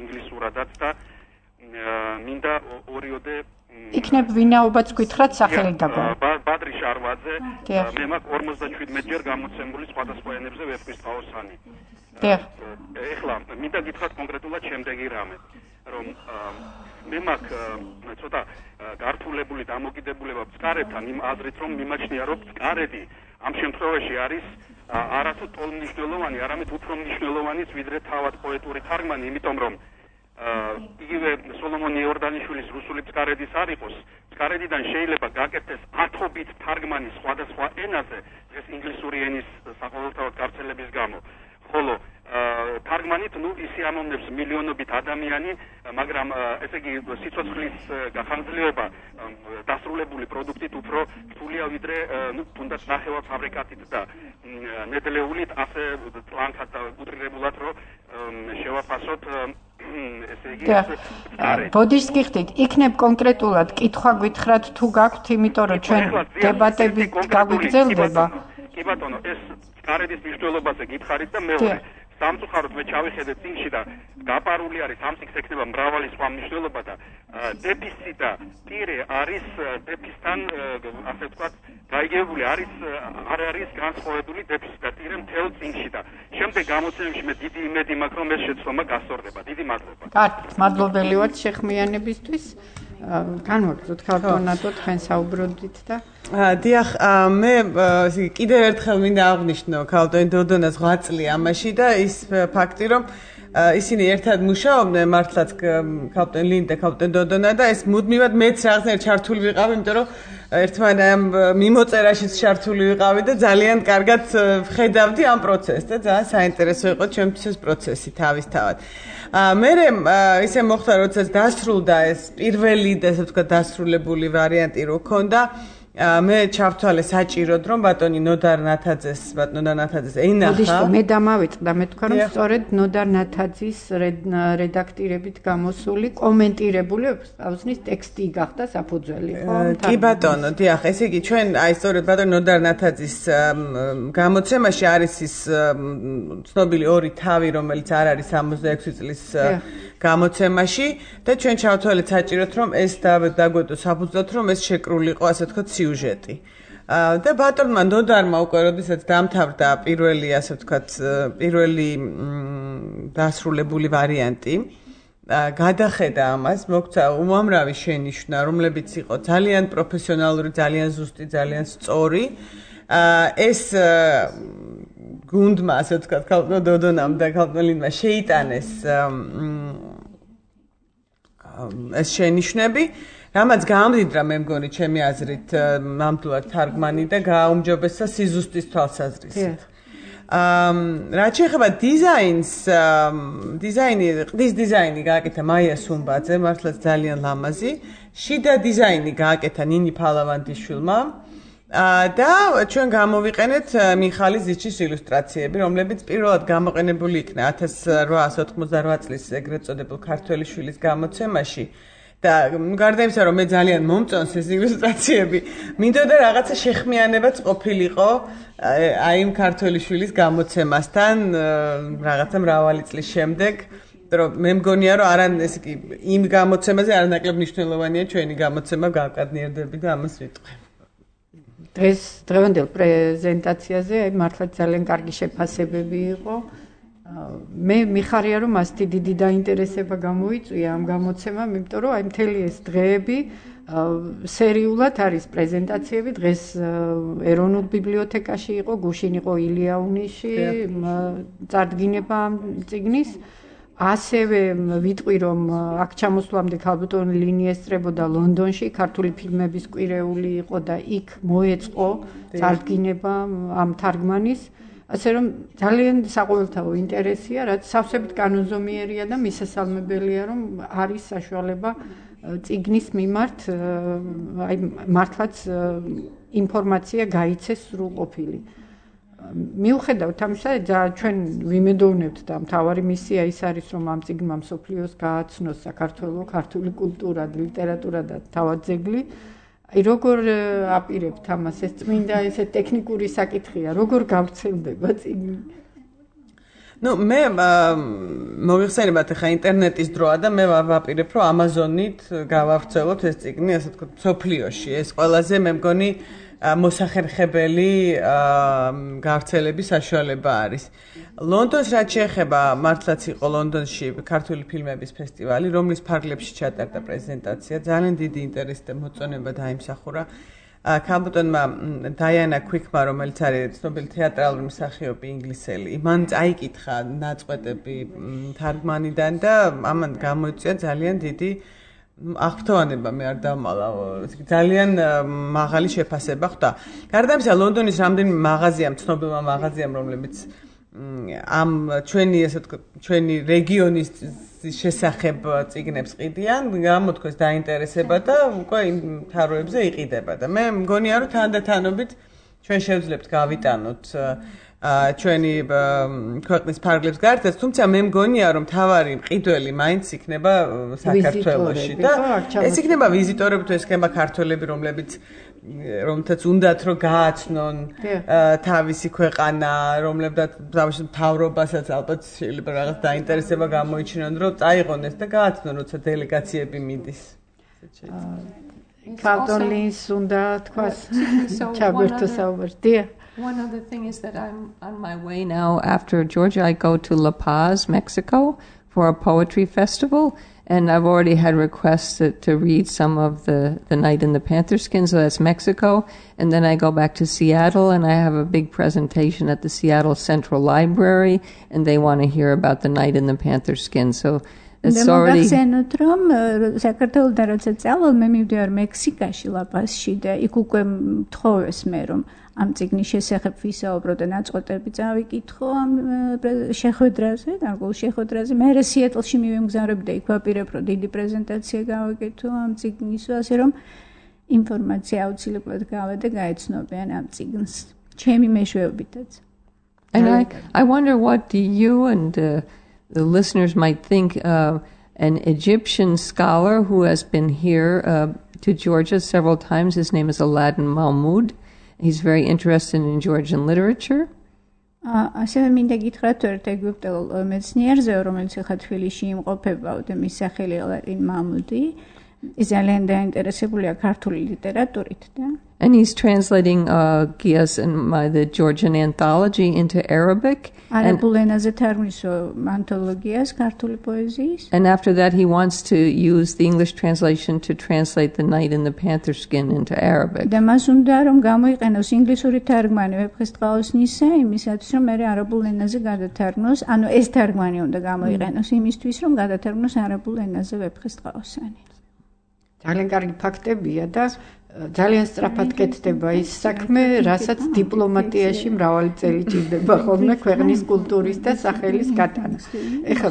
ინგლისურადაც და მინდა ორიოდე იქნებ ვინაობაც გითხრათ სახელი დაგვა. ბადრი შარვაძე, მე მაქვს ორმოცდაშვიდმეტ ჯერ გამოცემული სხვადასხვა ენებზე ვეფხისტყაოსანი. დიახ. ეხლა მინდა გითხრათ კონკრეტულად შემდეგი რამე, რომ მე მაქვს ცოტა გართულებული დამოკიდებულება წყარებთან იმ აზრით, რომ მიმაჩნია, რომ წყარები ამ შემთხვევაში არის არათუ ტოლმნიშვნელოვანი, არამედ უფრო მნიშვნელოვანიც ვიდრე თავად პოეტური თარგმანი, იმიტომ რომ იგივე სოლომონ იორდანიშვილის რუსული წყარედის არ იყოს, წყარედიდან შეიძლება გაკეთდეს ათობით თარგმანი სხვადასხვა ენაზე, ეს ინგლისური ენის საყოველთაოდ გავრცელების გამო. ხოლო თარგმანით ნუ ისიამოვნებს მილიონობით ადამიანი, მაგრამ ესე იგი სიცოცხლის გახანგრძლივება დასრულებული პროდუქტით უფრო რთულია ვიდრე ნუ თუნდაც ნახევარფაბრიკატით და ნედლეულით ასე ტლანქად და უტრირებულად რომ შევაფასოთ ესე იგი ბოდიშს გიხდით, იქნებ კონკრეტულად კითხვა გითხრათ თუ გაქვთ, იმიტომ რომ ჩვენ დებატები გაგვიგრძელდება. კი ბატონო, ეს წყარედის მნიშვნელობაზე გითხარით და მეორე სამწუხაროდ მე ჩავიხედე წიგნში და გაპარული არის ამ წიგნს ექნება მრავალი სხვა მნიშვნელობა და დეფისი და ტირე არის დეფისთან ასე ვთქვათ გაიგებული არის არ არის განსხვავებული დეფისი და ტირე მთელ წიგნში და შემდეგ გამოცემებში მე დიდი იმედი მაქვს რომ ეს შეცდომა გასწორდება. დიდი მადლობა. კარგი, მადლობელი ვართ შეხმიანებისთვის. განვაგრძოთ ქალბატონადო თქვენ საუბრობდით და დიახ, მე კიდევ ერთხელ მინდა აღვნიშნო ქალბატონ დოდონას ოცი წელი ამაში და ის ფაქტი, რომ ისინი ერთად მუშაობდნენ მართლაც ქალბატონ ლინდა, ქალბატონ დოდონა და ეს მუდმივად მეც რაღაცნაირად ჩართული ვიყავი, იმიტომ რომ ერთმანეთს ამ მიმოწერაშიც ჩართული ვიყავი და ძალიან კარგად ვხედავდი ამ პროცესს და ძალიან საინტერესო იყო ჩემთვის ეს პროცესი თავისთავად. მე ისე მოხდა, როდესაც დასრულდა ეს პირველი და ესე ვთქვათ დასრულებული ვარიანტი რო ქონდა, მე ჩავთვალე საჭიროდ, რომ ბატონი ნოდარ ნათაძეს, ბატონი ნოდარ ნათაძეს ენახა. მოდიშო, მე დამავიწყდა, მე თქვა, რომ სწორედ ნოდარ ნათაძის რედაქტირებით გამოსული, კომენტირებული ავზნის ტექსტი გახდა საფუძველი, ხო? კი ბატონო, დიახ, ესე იგი ჩვენ აი სწორედ ბატონი ნოდარ ნათაძის გამოცემაში არის ის ცნობილი ორი თავი, რომელიც არ არის სამოცდაექვსი წლის გამოცემაში და ჩვენ ჩავთვალეთ საჭიროდ, რომ ეს დაგვედო საფუძვლად, რომ ეს შეკრულიყო, ასე ვთქვათ, სიუჟეტი. და ბატონმა ნოდარმა უკვე როდესაც დამთავრდა პირველი, ასე ვთქვათ, პირველი დასრულებული ვარიანტი, გადახედა ამას, მოგცა უამრავი შენიშვნა, რომლებიც იყო ძალიან პროფესიონალური, ძალიან ზუსტი, ძალიან სწორი. ეს გუნდმა, ასე ვთქვათ, ქალბატონ დოდონამ და ქალბატონ ლინდმა შეიტანეს ეს შენიშვნები, რამაც გაამდიდრა მე მგონი ჩემი აზრით ნამდვილად თარგმანი და გააუმჯობესა სიზუსტის თვალსაზრისით. რაც შეეხება დიზაინს, დიზაინი, ყდის დიზაინი გააკეთა მაია სუმბაძე, მართლაც ძალიან ლამაზი. შიდა დიზაინი გააკეთა ნინი ფალავანდიშვილმა. და ჩვენ გამოვიყენეთ მიხალი ზიჩის ილუსტრაციები, რომლებიც პირველად გამოყენებული იქნა ათას რვაასი ოცდაოთხმოცდარვა წლის ეგრეთ წოდებულ ქართველი შვილის გამოცემაში. და გარდა იმისა, რომ მე ძალიან მომწონს ეს ილუსტრაციები, მინდოდა რაღაცა შეხმიანებაც ყოფილიყო აი იმ ქართველი შვილის გამოცემასთან რაღაცა მრავალი წლის შემდეგ, რომ მე მგონია, რომ არა ესე იგი იმ გამოცემაზე არანაკლებ მნიშვნელოვანია ჩვენი გამოცემა გავკადნიერდები და ამას ვიტყვი. დღეს დღევანდელ პრეზენტაციაზე აი მართლა ძალიან კარგი შეფასებები იყო. მე მიხარია, რომ ასეთი დიდი დაინტერესება გამოიწვია ამ გამოცემამ, იმიტომ რომ აი მთელი ეს დღეები სერიულად არის პრეზენტაციები. დღეს ეროვნულ ბიბლიოთეკაში იყო, გუშინ იყო ილიაუნიში, წარდგინება ამ წიგნის. ასევე ვიტყვი, რომ აქ ჩამოსვლამდე ქალბატონ ლინი ესწრებოდა ლონდონში, ქართული ფილმების კვირეული იყო და იქ მოეწყო წარდგინება ამ თარგმანის. ასე რომ ძალიან საყოველთაო ინტერესია, რაც სავსებით კანონზომიერია და მისასალმებელია, რომ არის საშუალება წიგნის მიმართ აი მართლაც ინფორმაცია გაიცეს სრულყოფილი. მიუხედავთ ამისა, ჩვენ ვიმედოვნებთ და მთავარი მისია ის არის, რომ ამ წიგნმა მსოფლიოს გააცნოს საქართველოს ქართული კულტურა, ლიტერატურა და თავად ძეგლი. აი როგორ აპირებთ ამას? ეს წმინდა ესე ტექნიკური საკითხია, როგორ გავრცელდება წიგნი? ნუ მე მოვიხსენებათ ახლა ინტერნეტის დროა და მე ვაპირებ, რომ ამაზონით გავავრცელოთ ეს წიგნი, ასე ვთქვათ, მსოფლიოში. ეს ყველაზე მე მგონი მოსახერხებელი გავრცელების საშუალება არის. ლონდონს რაც შეეხება, მართლაც იყო ლონდონში ქართული ფილმების ფესტივალი, რომლის ფარგლებში ჩატარდა პრეზენტაცია. ძალიან დიდი ინტერესი და მოწონება დაიმსახურა ქალბატონმა დაიანა ქვიქმა, რომელიც არის ცნობილი თეატრალური მსახიობი ინგლისელი. მან წაიკითხა ნაწყვეტები თარგმანიდან და ამან გამოიწვია ძალიან დიდი აღფრთოვანება, მე არ დავმალა, ძალიან მაღალი შეფასება ხვდა. გარდა ამისა, ლონდონის რამდენიმე მაღაზიამ, ცნობილმა მაღაზიამ, რომლებიც ამ ჩვენი ასე ვთქვათ, ჩვენი რეგიონის შესახებ წიგნებს ყიდიან, გამოთქვეს დაინტერესება და უკვე იმ თაროებზე იყიდება და მე მგონია, რომ თანდათანობით ჩვენ შევძლებთ გავიტანოთ ჩვენი ქვეყნის ფარგლებს გარდა, თუმცა მე მგონია, რომ თავარი მყიდველი მაინც იქნება საქართველოში და ეს იქნება ვიზიტორები თუ ეს იქნება ქართველები, რომლებიც რომთაც უნდათ რომ გააცნონ თავისი ქვეყანა, რომლებსაც მთავრობასაც ალბათ შეიძლება რაღაც დაინტერესება გამოიჩინონ, რომ წაიღონ ეს და გააცნონ, როცა დელეგაციები მიდის. ქალბატონ ლინს უნდა თქვას ჩაგვერთო საუბარი. One other thing is that I'm on my way now after Georgia. I go to La Paz, Mexico for a poetry festival. And I've already had requests to, to read some of the, the Night in the Panther Skin, so that's Mexico. And then I go back to Seattle, and I have a big presentation at the Seattle Central Library, and they want to hear about the Night in the Panther Skin. So it's already... ამ წიგნის შესახებ ვისაუბრო და ნაწყვეტები წავიკითხო ამ შეხვედრაზე, გარკვეულ შეხვედრაზე. მე სიეტლში მივემგზავრები და იქ ვაპირებ, რომ დიდი პრეზენტაცია გავაკეთო ამ წიგნის, ასე რომ ინფორმაცია აუცილებლად გავა და გაეცნობიან ამ წიგნს. ჩემი მეშვეობითაც. And I, I wonder what you and uh, the listeners might think uh, an Egyptian scholar who has been here uh, to Georgia several times. His name is Aladdin Mahmoud. He's very interested in Georgian literature. ასევე მინდა გითხრათ ერთ ეგვიპტელ მეცნიერზე, რომელიც ახლა თბილისში იმყოფება და მის სახელი ალადინ მაჰმუდი. ის ძალიან დაინტერესებულია ქართული ლიტერატურით და And he's translating uh, Giyas and my, the Georgian anthology into Arabic. And, and after that, he wants to use the English translation to translate The Night in the Panther Skin into Arabic. ძალიან კარგი ფაქტებია და ძალიან სწრაფად კეთდება ის საქმე, რასაც დიპლომატიაში მრავალი წელი ჭირდება ხოლმე ქვეყნის კულტურის და სახელის გატანა. ეხლა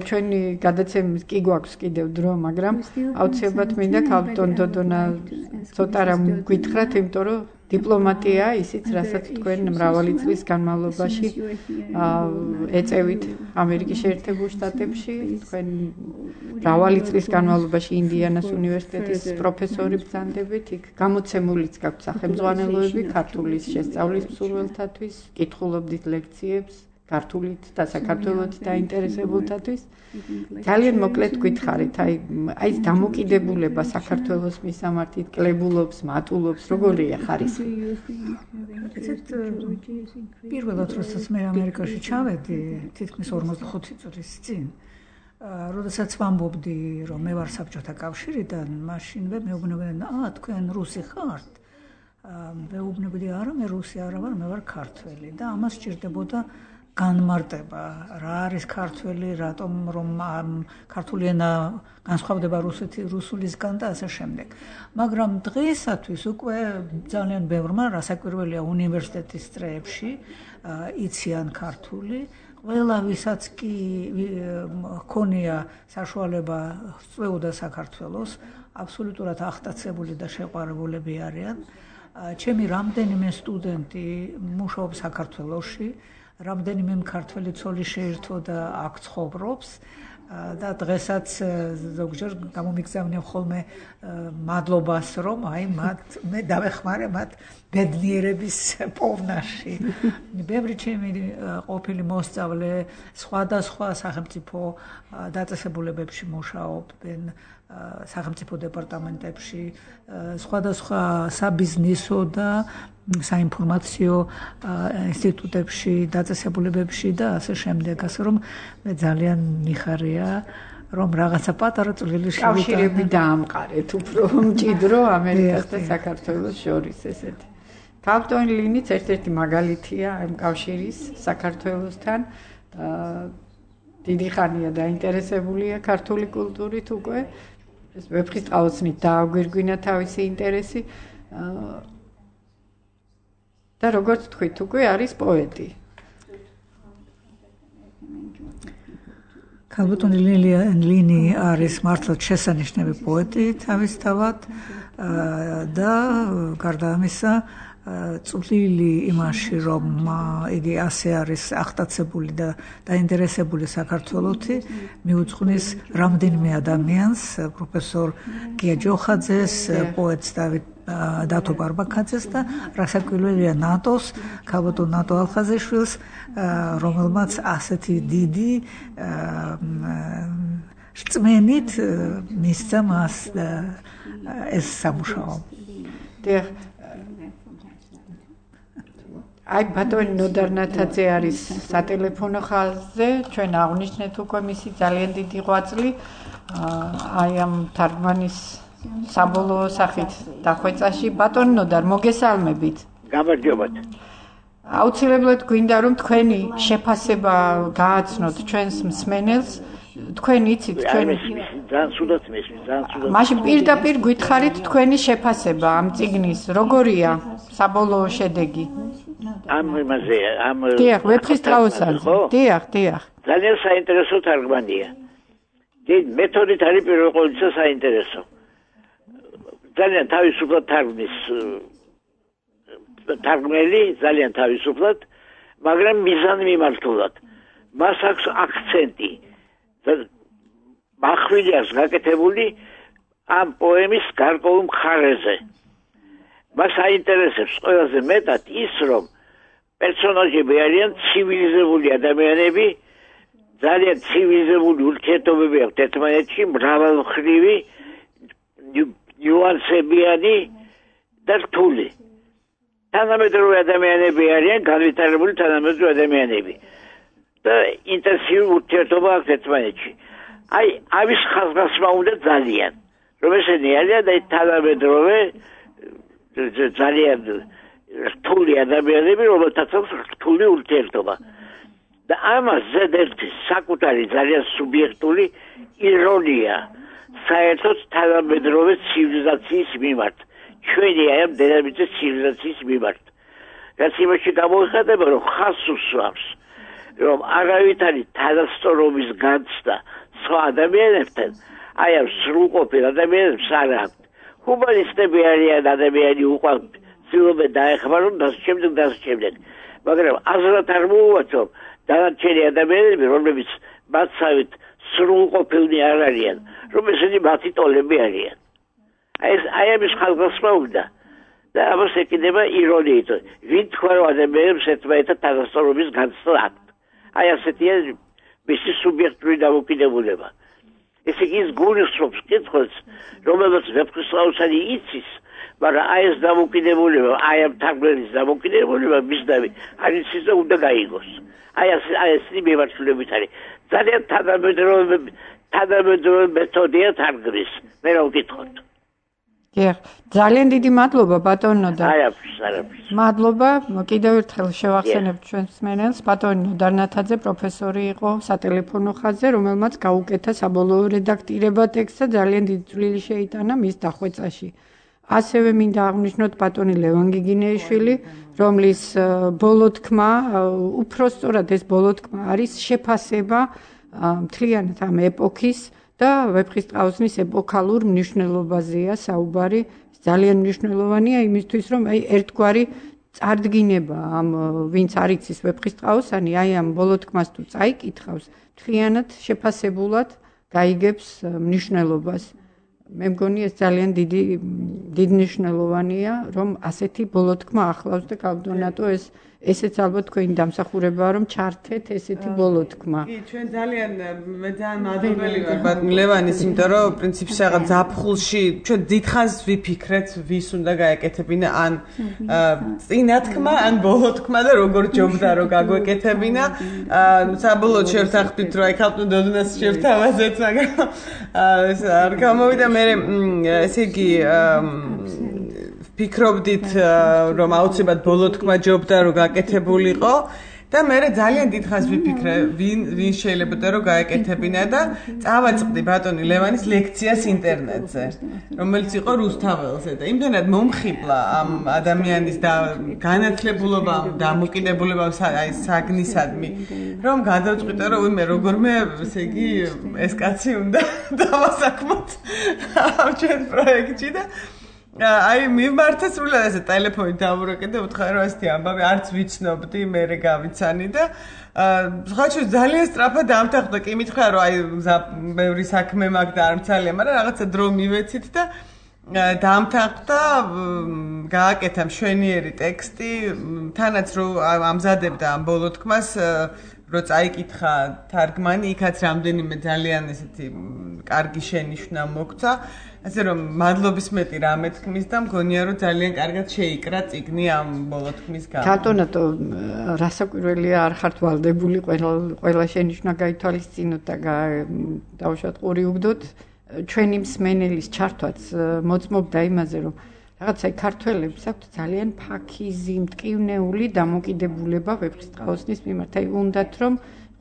ჩვენი გადაცემის კი გვაქვს კიდევ დრო, მაგრამ აუცილებლად მინდა ქალბატონ დოდონა ცოტა რამ გითხრათ, იმიტომ რომ დიპლომატია ისიც, რასაც თქვენ მრავალი წლის განმავლობაში ეწევით ამერიკის შეერთებულ შტატებში, თქვენ მრავალი წლის განმავლობაში ინდიანას უნივერსიტეტის პროფესორი ბრძანდებით, იქ გამოცემულიც გაქვთ სახელმძღვანელოები ქართულის შესწავლის მსურველთათვის, კითხულობდით ლექციებს ქართულით და საქართველოს დაინტერესებულთათვის. ძალიან მოკლედ გითხარით, აი აი დამოკიდებულება საქართველოს მისამართით, კლებულობს, მატულობს, როგორია ხარისხი? ესეთ პირველად როდესაც მე ამერიკაში ჩავედი, თითქმის ორმოცდახუთი წლის წინ, როდესაც ვამბობდი, რომ მე ვარ საბჭოთა კავშირიდან, მაშინვე მეუბნებოდნენ, აა, თქვენ რუსი ხართ? მეუბნებოდი, არა, მე რუსი არა ვარ, მე ვარ ქართველი და ამას სჭირდებოდა განმარტება, რა არის ქართველი, რატომ რომ ქართული ენა განსხვავდება რუსულისგან და ასე შემდეგ. მაგრამ დღეისათვის უკვე ძალიან ბევრმა, რასაკვირველია, უნივერსიტეტის წრეებში იციან ქართული. ყველა ვისაც კი ჰქონია საშუალება სწვეოდა საქართველოს, აბსოლუტურად აღტაცებული და შეყვარებულები არიან. ჩემი რამდენიმე სტუდენტი მუშაობს საქართველოში, რამდენიმე მქართველი ცოლი შეირთო და აქ ცხოვრობს და დღესაც ზოგჯერ გამომიგზავნიან ხოლმე მადლობას, რომ აი მათ მე დავეხმარე მათ ბედნიერების პოვნაში. ბევრი ჩემი ყოფილი მოსწავლე სხვადასხვა სახელმწიფო დაწესებულებებში მუშაობენ, სახელმწიფო დეპარტამენტებში, სხვადასხვა საბიზნესო და საინფორმაციო ინსტიტუტებში, დაწესებულებებში და ასე შემდეგ, ასე რომ მე ძალიან მიხარია, რომ რაღაცა პატარა წვლილი შევიტანე. კავშირები დაამყარეთ, უფრო მჭიდრო ამერიკას და საქართველოს შორის ესეთი. ქალბატონი ლინიც ერთ-ერთი მაგალითია ამ კავშირის საქართველოსთან. დიდი ხანია დაინტერესებულია ქართული კულტურით უკვე. ეს ვეფხისტყაოსნით დააგვირგვინა თავისი ინტერესი. და როგორც თქვით, უკვე არის პოეტი. ქალბატონი ლინი არის მართლაც შესანიშნავი პოეტი თავისთავად და გარდა ამისა წვლილი იმაში, რომ იგი ასე არის აღტაცებული და დაინტერესებული საქართველოთი, მიუძღვნის რამდენიმე ადამიანს, პროფესორ გია ჯოხაძეს, პოეტს დავით დათო ბარბაქაძეს და რასაკვირველია ნატოს, ქალბატონ ნატო ალხაზიშვილს, რომელმაც ასეთი დიდი რწმენით მისცა მას ეს სამუშაო. აი ბატონი ნოდარ ნათაძე არის სატელეფონო ხაზზე, ჩვენ აღნიშნეთ უკვე მისი ძალიან დიდი ღვაწლი აი ამ თარგმანის საბოლოო სახით დახვეწაში. ბატონი ნოდარ, მოგესალმებით. გამარჯობათ. აუცილებლად გვინდა რომ თქვენი შეფასება გააცნოთ ჩვენს მსმენელს. თქვენ იცით თქვენ ძალიან სულად მესმის, ძალიან სულად. მაშინ პირდაპირ გითხარით თქვენი შეფასება ამ წიგნის, როგორია საბოლოო შედეგი? ამ იმაზე, ამ დიახ, ვეფხისტყაოსანზე. დიახ, დიახ. ძალიან საინტერესო თარგმანია. დიდ მეთოდით არის პირველ ყოვლისა საინტერესო. ძალიან თავისუფლად თარგმნის თარგმნელი, ძალიან თავისუფლად, მაგრამ მიზანმიმართულად. მას აქვს აქცენტი. მახვილიას გაკეთებული ამ პოემის გარკვეულ მხარეზე. მას აინტერესებს ყველაზე მეტად ის, რომ პერსონაჟები არიან ცივილიზებული ადამიანები, ძალიან ცივილიზებული ურთიერთობები აქვთ ერთმანეთში, მრავალმხრივი, ნიუანსებიანი და რთული. თანამედროვე ადამიანები არიან განვითარებული თანამედროვე ადამიანები. და ინტენსიური ურთიერთობა აქვს ერთმანეთში. აი, ამის ხაზგასმა უნდა ძალიან, რომ ესენი არიან და თანამედროვე ძალიან რთული ადამიანები, რომელთაც აქვს რთული ურთიერთობა. და ამას ზედერთი საკუთარი ძალიან სუბიექტური ირონია საერთოდ თანამედროვე ცივილიზაციის მიმართ. ჩვენი აი ამ დედამიწის ცივილიზაციის მიმართ. რაც იმაში გამოიხატება, რომ ხაზს უსვამს. რომ არავითარი თანასწორობის განცდა სხვა ადამიანებთან, აი ამ სრულყოფილ ადამიანებს არ აქვთ. ჰუმანისტები არიან ადამიანი უყვართ, ცდილობენ დაეხმარონ და შემდეგ და შემდეგ. მაგრამ აზრად არ მოუვათ, რომ დანარჩენი ადამიანები, რომლებიც მათსავით სრულყოფილნი არ არიან, რომ ესენი მათი ტოლები არიან. აი ეს აი ამის ხალხსმა უნდა. და ამას ეკიდება ირონიით. ვინ თქვა რომ ადამიანებს ერთმანეთთან თანასწორობის განცდა აქვთ? აი ასეთია მისი სუბიექტური დამოკიდებულება. ესე იგი ის გულისხმობს კითხვას, რომელსაც ვეფხისტყაოსანი იცის, მაგრამ აი ეს დამოკიდებულება, აი ამ თარგმნის დამოკიდებულება მისდამი არ იცის და უნდა გაიგოს. აი ეს აი ეს მიმართულებით არის. ძალიან თანამედროვე თანამედროვე მეთოდია თარგმნის. მე რა ვკითხოთ? დიახ, ძალიან დიდი მადლობა ბატონო და არაფერს, არაფერს. მადლობა, კიდევ ერთხელ შევახსენებ ჩვენს მსმენელს, ბატონი ნოდარ ნათაძე პროფესორი იყო სატელეფონო ხაზზე, რომელმაც გაუკეთა საბოლოო რედაქტირება ტექსტსა, ძალიან დიდი წვლილი შეიტანა მის დახვეწაში. ასევე მინდა აღნიშნოთ ბატონი ლევან გიგინეიშვილი, რომლის ბოლო თქმა, უფრო სწორად ეს ბოლო თქმა არის შეფასება მთლიანად ამ ეპოქის და ვეფხისტყაოსნის ეპოქალურ მნიშვნელობაზეა საუბარი. ძალიან მნიშვნელოვანია იმისთვის, რომ აი ერთგვარი წარდგინება ამ ვინც არ იცის ვეფხისტყაოსანი, აი ამ ბოლო თქმას თუ წაიკითხავს, მთლიანად შეფასებულად გაიგებს მნიშვნელობას. მე მგონი ეს ძალიან დიდი დიდ მნიშვნელოვანია, რომ ასეთი ბოლო თქმა ახლავს და გავდონატო ეს ესეც ალბათ თქვენი დამსახურებაა, რომ ჩართეთ ესეთი ბოლო თქმა. კი, ჩვენ ძალიან მე ძალიან მადლობელი ვარ ბატონ ლევანის, იმიტომ რომ პრინციპში რაღაც ზაფხულში ჩვენ დიდხანს ვიფიქრეთ, ვის უნდა გაეკეთებინა, ან წინა თქმა, ან ბოლო თქმა და როგორ ჯობდა რომ გაგვეკეთებინა. საბოლოოდ შევთანხმდით, რომ აი ქალბატონ დოდუნას შევთავაზეთ, მაგრამ ეს არ გამოვიდა. მე ესე იგი ფიქრობდით რომ აუცილებლად ბოლო თქმა ჯობდა რომ გაკეთებულიყო და მე ძალიან დიდხანს ვიფიქრე ვინ ვინ შეიძლება რომ გაეკეთებინა და წავაწყდი ბატონი ლევანის ლექციას ინტერნეტზე რომელიც იყო რუსთაველზე და იმდენად მომხიბლა ამ ადამიანის და განათლებულობა დამოკიდებულება აი საგნისადმი რომ გადავწყვიტე რომ ვიმე როგორმე ესე იგი ეს კაცი უნდა დავასაქმოთ ამ ჩვენ პროექტში და აი მიმართა სრულად ესე ტელეფონით დავურეკე და ვთხარი რომ ასეთი ამბავი არც ვიცნობდი მე რე გავიცანი და ხაჩო ძალიან სწრაფად დამთახდა კი მითხრა რომ აი ბევრი საქმე მაგ და არ მცალია მაგრამ რაღაცა დრო მივეცით და დაამთავრდა გააკეთა მშვენიერი ტექსტი თანაც რომ ამზადებდა ამ ბოლო თქმას რო წაიკითხა თარგმანი იქაც რამდენიმე ძალიან ესეთი კარგი შენიშვნა მოგვცა ასე რომ მადლობის მეტი რამე თქმის და მგონია რომ ძალიან კარგად შეიკრა წიგნი ამ ბოლო თქმის გამო კანტონატო რასაკვირველია არ ხართ ვალდებული ყველა ყველა შენიშვნა გაითვალისწინოთ და დავუშვათ ყური უგდოთ ჩვენი მსმენელის ჩართვაც მოწმობდა იმაზე რომ რაღაცა ქართველებს აქვთ ძალიან ფაქიზი, მტკივნეული დამოკიდებულება ვეფხისტყაოსნის მიმართ. აი უნდათ რომ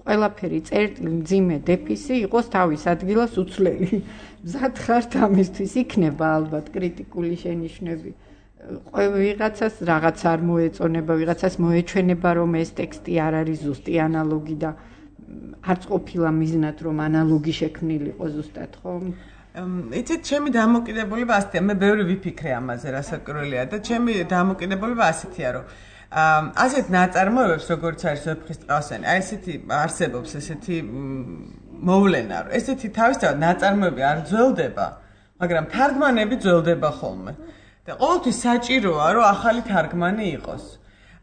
ყველაფერი წერტილი, მძიმე, დეფისი იყოს თავის ადგილას უცვლელი. მზად ხართ ამისთვის იქნება ალბათ კრიტიკული შენიშვნები. ვიღაცას რაღაც არ მოეწონება, ვიღაცას მოეჩვენება რომ ეს ტექსტი არ არის ზუსტი ანალოგი და არც ყოფილა მიზნად რომ ანალოგი შექმნილიყო ზუსტად ხომ? იცით, ჩემი დამოკიდებულება ასეთია, მე ბევრი ვიფიქრე ამაზე, რასაკვირველია და ჩემი დამოკიდებულება ასეთია, რომ ასეთ ნაწარმოებებს, როგორც არის ვეფხისტყაოსანი, აი ესეთი არსებობს, ესეთი მოვლენა, რომ ესეთი თავისთავად ნაწარმოები არ ძველდება, მაგრამ თარგმანები ძველდება ხოლმე. და ყოველთვის საჭიროა, რომ ახალი თარგმანი იყოს.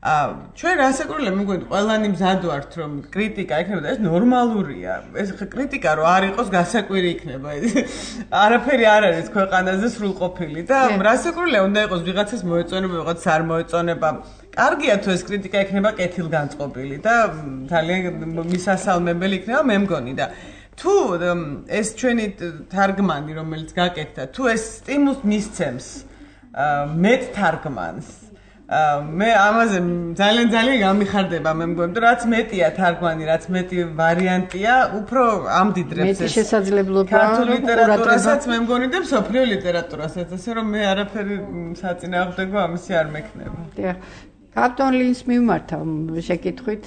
ჩვენ რასაკვირველია მეგონი ყველანი მზად ვართ რომ კრიტიკა იქნება და ეს ნორმალურია ეს კრიტიკა რო არ იყოს გასაკვირი იქნება არაფერი არ არის ქვეყანაზე სრულყოფილი და რასაკვირველია უნდა იყოს ვიღაცას მოეწონება ვიღაცას არ მოეწონება კარგია თუ ეს კრიტიკა იქნება კეთილგანწყობილი და ძალიან მისასალმებელი იქნება მე მგონი და თუ ეს ჩვენი თარგმანი რომელიც გაკეთდა თუ ეს სტიმულს მისცემს მეტ თარგმანს მე ამაზე ძალიან ძალიან გამიხარდება მე მგონი რომ რაც მეტია თარგმანი რაც მეტი ვარიანტია უფრო ამდიდრებს ეს მეტი შესაძლებლობა ქართულ ლიტერატურასაც მე მგონი და მსოფლიო ლიტერატურასაც ასე რომ მე არაფერი საწინააღმდეგო ამისი არ მექნება დიახ კაპტონ ლინს მიმართა შეკითხვით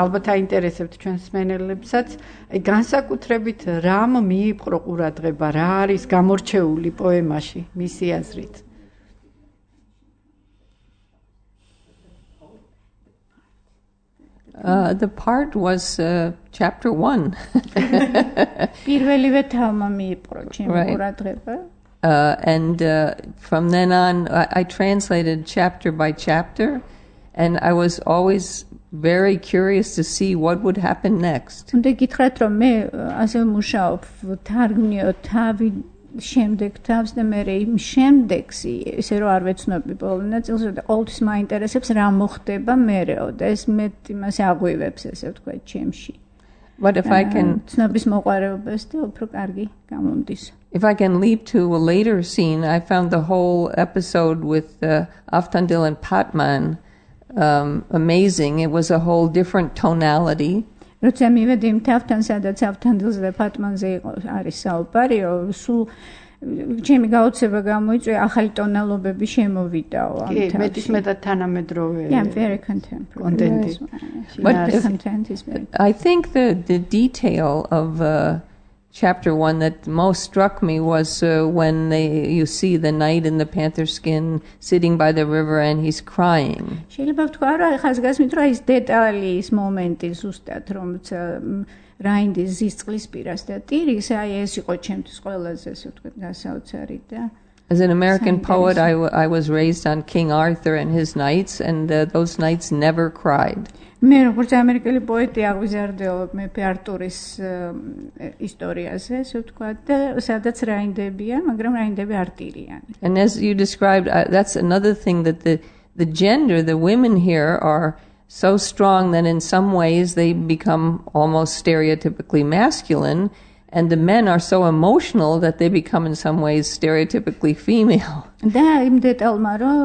ალბათ აინტერესებთ ჩვენს მსმენელებსაც აი განსაკუთრებით რამ მიიპყრო ყურადღება რა არის გამორჩეული პოემაში მისი აზრით Uh, the part was uh, chapter one. Right. Uh, and uh, from then on, I, I translated chapter by chapter, and I was always very curious to see what would happen next. შემდეგ თავს და მე იმ შემდეგსი ესე რომ არ ვეცნობი ბოლო ნაწილს და ყოველთვის მაინტერესებს რა მოხდება მერეო და ეს მე იმას აღვივებს ესე ვთქვათ ჩემში. But if I can ცნობის მოყარეობას და უფრო კარგი გამომდის. If I can leap to a later scene, I found the whole episode with uh, Avtandil and Patman um, amazing. It was a whole different tonality. როცა მივედი იმ თავთან, სადაც ავთანდილზე და ფატმანზე იყო არის საუბარიო, სულ ჩემი გაოცება გამოიწვია, ახალი ტონალობები შემოვიდაო ამ თავში. კი, მეტისმეტად თანამედროვე. Yeah, very contemporary. But content is very. I think the the detail of uh, chapter one that most struck me was uh, when they you see the knight in the panther skin sitting by the river and he's crying. შეიძლება ვთქვა რა ხაზგასმით რა ის დეტალი ის მომენტი ზუსტად რომც რაინდის ზისწყლის პირას და ტირის აი ეს იყო ჩემთვის ყველაზე ასე ვთქვათ გასაოცარი და As an American poet, I, w- I was raised on King Arthur and his knights, and uh, those knights never cried. მე როგორც ამერიკელი პოეტი აღვიზარდეობ მეფე არტურის ისტორიაზე, ასე ვთქვათ, და სადაც რაინდებია, მაგრამ რაინდები არ ტირიანი. And as you described, uh, that's another thing that the the gender, the women here are so strong that in some ways they become almost stereotypically masculine, and the men are so emotional that they become in some ways stereotypically female. და იმ დეტალმა რომ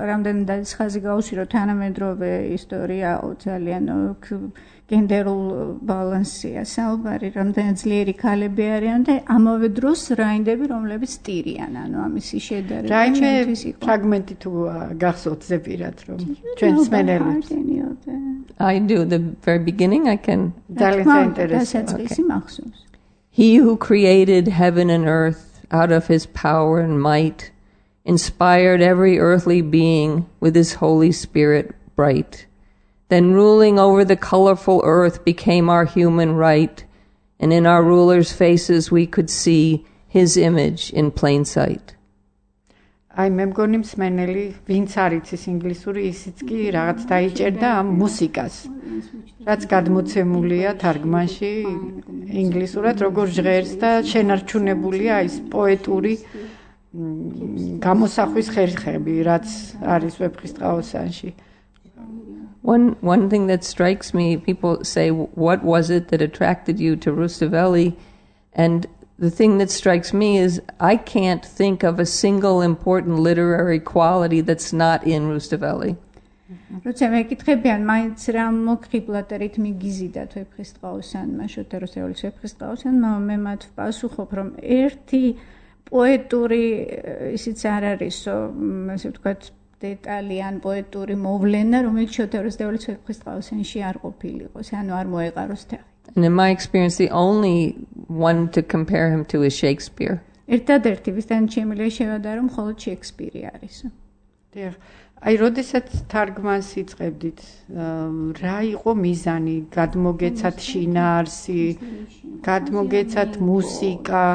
რამდენადაც ხაზი გაუსვირო თანამედროვე ისტორიაო ძალიან გენდერულ ბალანსია საუბარი რამდენად ძლიერი ქალები არიან და ამავე დროს რაინდები რომლებიც ტირიან ანუ ამისი შედარება რაიმე ფრაგმენტი თუ გახსოვთ ზეპირად რომ ჩვენ მსმენელებს I do the very beginning I can ძალიან საინტერესოა He who created heaven and earth out of his power and might, inspired every earthly being with his Holy Spirit bright. Then ruling over the colorful earth became our human right, and in our rulers' faces we could see his image in plain sight. აი მე მგონი მსმენელი ვინც არ იცის ინგლისური ისიც კი რაღაც დაიჭერდა ამ მუსიკას რაც გადმოცემულია თარგმანში ინგლისურად როგორ ჟღერს და შენარჩუნებულია ის პოეტური გამოსახვის ხერხები რაც არის ვეფხისტყაოსანში. One one thing that strikes me, people say, what was it that attracted you to Rustaveli? And the thing that strikes me is I can't think of a single important literary quality that's not in Rustaveli. როცა მეკითხებიან მაინც რა მოგხიბლად რითმი გიზიდათ ვეფხისტყაოსანმა შოთა რუსთაველის ვეფხისტყაოსანმა მე მათ ვპასუხობ რომ ერთი პოეტური ისიც არ არისო ასე ვთქვათ დეტალი ან პოეტური მოვლენა რომელიც შოთა რუსთაველის ვეფხისტყაოსანში არ ყოფილიყოს ანუ არ მოეყაროს თაღით. And in my experience, the only one to compare him to is Shakespeare. ერთადერთი ვისთან შემიძლია შევადარო მხოლოდ შექსპირი არის. დიახ. აი, როდესაც თარგმანს იწყებდით, რა იყო მიზანი? გადმოგეცათ შინაარსი, გადმოგეცათ მუსიკა,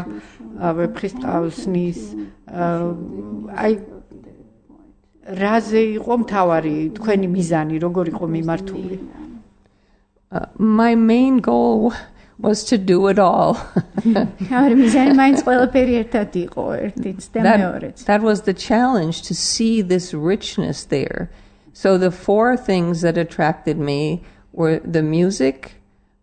ვეფხისტყაოსნის, აი რაზე იყო მთავარი თქვენი მიზანი, როგორ იყო მიმართული? Uh, my main goal was to do it all. that, that was the challenge, to see this richness there. So the four things that attracted me were the music,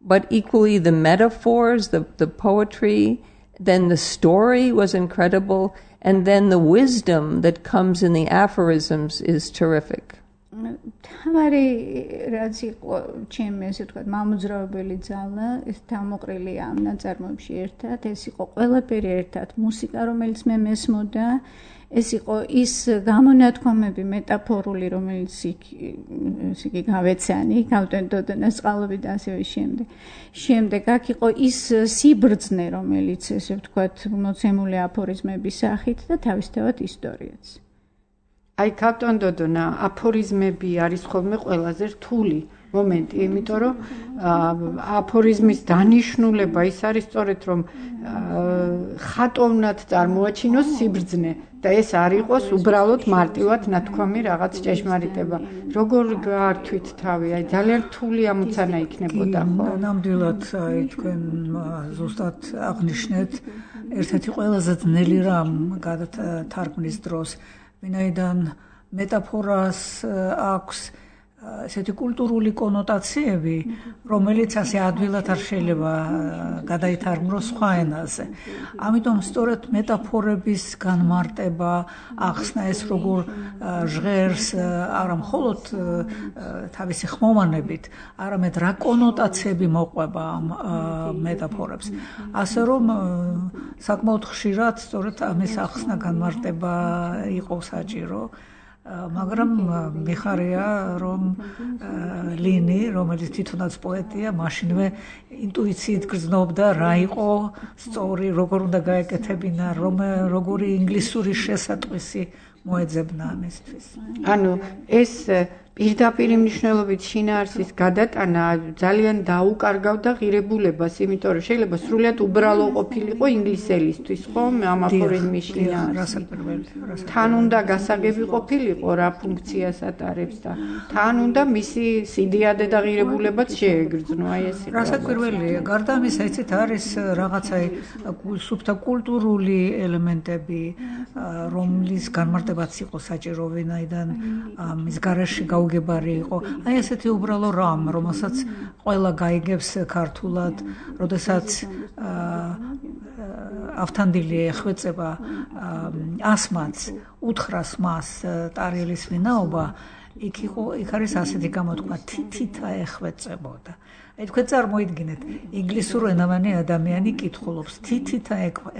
but equally the metaphors, the, the poetry, then the story was incredible, and then the wisdom that comes in the aphorisms is terrific. თავარი რაც იყო ჩემი ესე ვთქვათ მამოძრავებელი ძალა ეს თავმოყრილია ამ ნაწარმოებში ერთად ეს იყო ყველაფერი ერთად მუსიკა რომელიც მე მესმოდა ეს იყო ის გამონათქვამები მეტაფორული რომელიც ისე გავეცანი გავტენდოდანას წყალობით და ასევე შემდეგ შემდეგ აქ იყო ის სიბრძნე რომელიც ესე ვთქვათ მოცემული აფორიზმების სახით და თავისთავად ისტორიაც. აი კაპტონ დოდონა აფორიზმები არის ხოლმე ყველაზე რთული მომენტი, იმიტომ რომ აფორიზმის დანიშნულება ის არის სწორედ რომ ხატოვნად წარმოაჩინოს სიბრძნე და ეს არ იყოს უბრალოდ მარტივად ნათქვამი რაღაც ჭეშმარიტება. როგორ გაართვით თავი? აი ძალიან რთული ამოცანა იქნებოდა ხო? ნამდვილად აი თქვენ ზუსტად აღნიშნეთ ერთ-ერთი ყველაზე ძნელი რამ გადათარგმნის დროს ვინაიდან მეტაფორას აქვს ესეთი კულტურული კონოტაციები, რომელიც ასე ადვილად არ შეიძლება გადაითარგმნოს სხვა ენაზე. ამიტომ სწორედ მეტაფორების განმარტება, ახსნა ეს როგორ ჟღერს არა მხოლოდ თავისი ხმოვანებით, არამედ რა კონოტაციები მოყვება ამ მეტაფორებს. ასე რომ საკმაოდ ხშირად სწორედ ამის ახსნა განმარტება იყო საჭირო. მაგრამ მიხარია რომ ლინი რომელიც თვითონაც პოეტია მაშინვე ინტუიციით გრძნობდა რა იყო სწორი როგორ უნდა გაეკეთებინა რომ როგორი ინგლისური შესატყვისი მოეძებნა ამისთვის. ანუ ეს პირდაპირ მნიშვნელობით შინაარსის გადატანა ძალიან დაუკარგავდა ღირებულებას, იმიტომ რომ შეიძლება სრულიად უბრალო ყოფილიყო ინგლისელისთვის, ხო, ამ აფორიზმის შინაარსი. თან უნდა გასაგები ყოფილიყო რა ფუნქციას ატარებს და თან უნდა მისი სიდიადე და ღირებულებაც შეეგრძნო, აი ეს იყო. რასაც პირველია, გარდა ამისა, იცით, არის რაღაცა სუფთა კულტურული ელემენტები, რომლის განმარტებაც იყო საჭირო, ვინაიდან მის გარეშე გებარი იყო. აი ესეთი უბრალო რამ, რომელსაც ყველა გაიგებს ქართულად, როდესაც ავთანდილი ეხვეწება ასმაც, უთხრას მას ტარიელის ვინაობა, იქ იყო, იქ არის ასეთი გამოთქმა, თითითა ეხვეწებოდა. აი თქვენ წარმოიდგინეთ, ინგლისურენოვანი ადამიანი კითხულობს, თითითა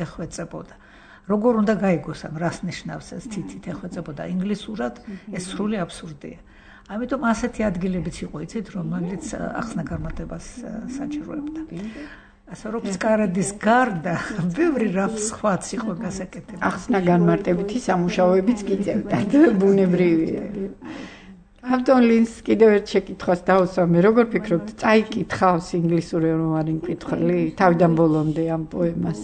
ეხვეწებოდა. როგორ უნდა გაიგოს ამ რას ნიშნავს ეს თითით ეხვეწებოდა ინგლისურად, ეს სრული აბსურდია. ამიტომ ასეთი ადგილებიც იყო, იცით, რომელიც ახსნა განმარტებას საჭიროებდა. ასე რომ წყარადის გარდა ბევრი რამ სხვაც იყო გასაკეთებელი. ახსნა განმარტებითი სამუშაოებიც გიწევდათ, ბუნებრივია. კაპტონ ლინს კიდევ ერთ შეკითხვას დავუსვამე, როგორ ფიქრობთ, წაიკითხავს ინგლისური რომ არ იმკითხელი თავიდან ბოლომდე ამ პოემას?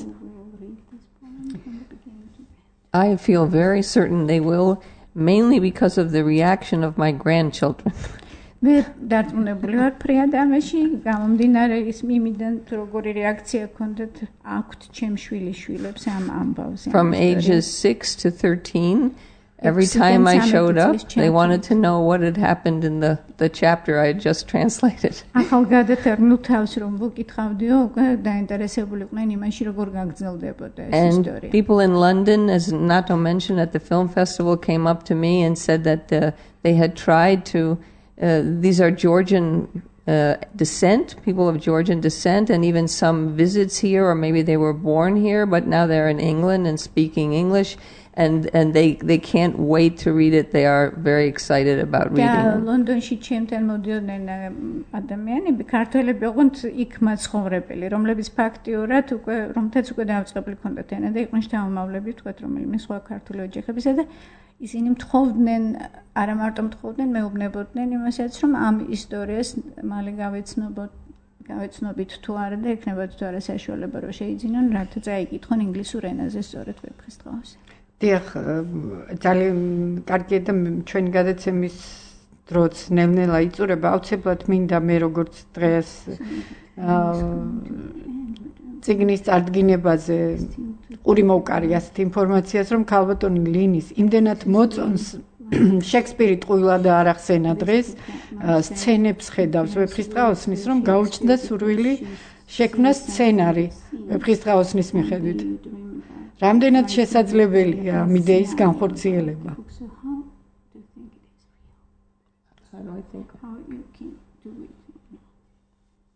I feel very certain they will, mainly because of the reaction of my grandchildren. მე დარწმუნებული ვარ ფრიადამაში გამომდინარე ის იმიდან როგორი რეაქცია ქონდათ აქვთ ჩემ შვილიშვილებს ამ ამბავზე. From ages six to thirteen, every time I showed up, they wanted to know what had happened in the, the chapter I had just translated. ახალგაზრდა ნუ თავს რომ ვუკითხავდიო, უკვე დაინტერესებულიყვნენ იმაში როგორ გაგრძელდებოდა ეს ისტორია. And people in London, as Nato mentioned at the film festival, came up to me and said that uh, they had tried to Uh, these are Georgian uh, descent, people of Georgian descent, and even some visits here, or maybe they were born here, but now they're in England and speaking English, and, and they, they can't wait to read it. They are very excited about reading it. ლონდონში ჩემთან მოდიოდნენ ადამიანები, ქართველები ოღონდ იქ მაცხოვრებელი, რომლებიც ფაქტიურად უკვე რომთაც უკვე დაიწყებული ჰქონდათ ენა და იყვნენ შთამომავლები, თქვათ რომელიმე სხვა ქართული ოჯახებისა და ისინი მთხოვდნენ, არა მარტო მთხოვდნენ, მეუბნებოდნენ იმასაც, რომ ამ ისტორიას მალე გავეცნობოთ, გავეცნობით თუ არა და ექნებათ თუ არა საშუალება რომ შეიძინონ, რათა წაიკითხონ ინგლისურ ენაზე სწორედ ვეფხისტყაოსზე. დიახ, ძალიან კარგია და ჩვენი გადაცემის დროც ნელ-ნელა იწურება, აუცილებლად მინდა მე როგორც დღეს წიგნის წარდგინებაზე ყური მოვკარი ასეთ ინფორმაციას, რომ ქალბატონი ლინის იმდენად მოწონს შექსპირი ტყუილა და არ ახსენა დღეს, სცენებს ხედავს ვეფხისტყაოსნის, რომ გაუჩნდა სურვილი შექმნა სცენარი ვეფხისტყაოსნის მიხედვით. რამდენად შესაძლებელია ამ იდეის განხორციელება?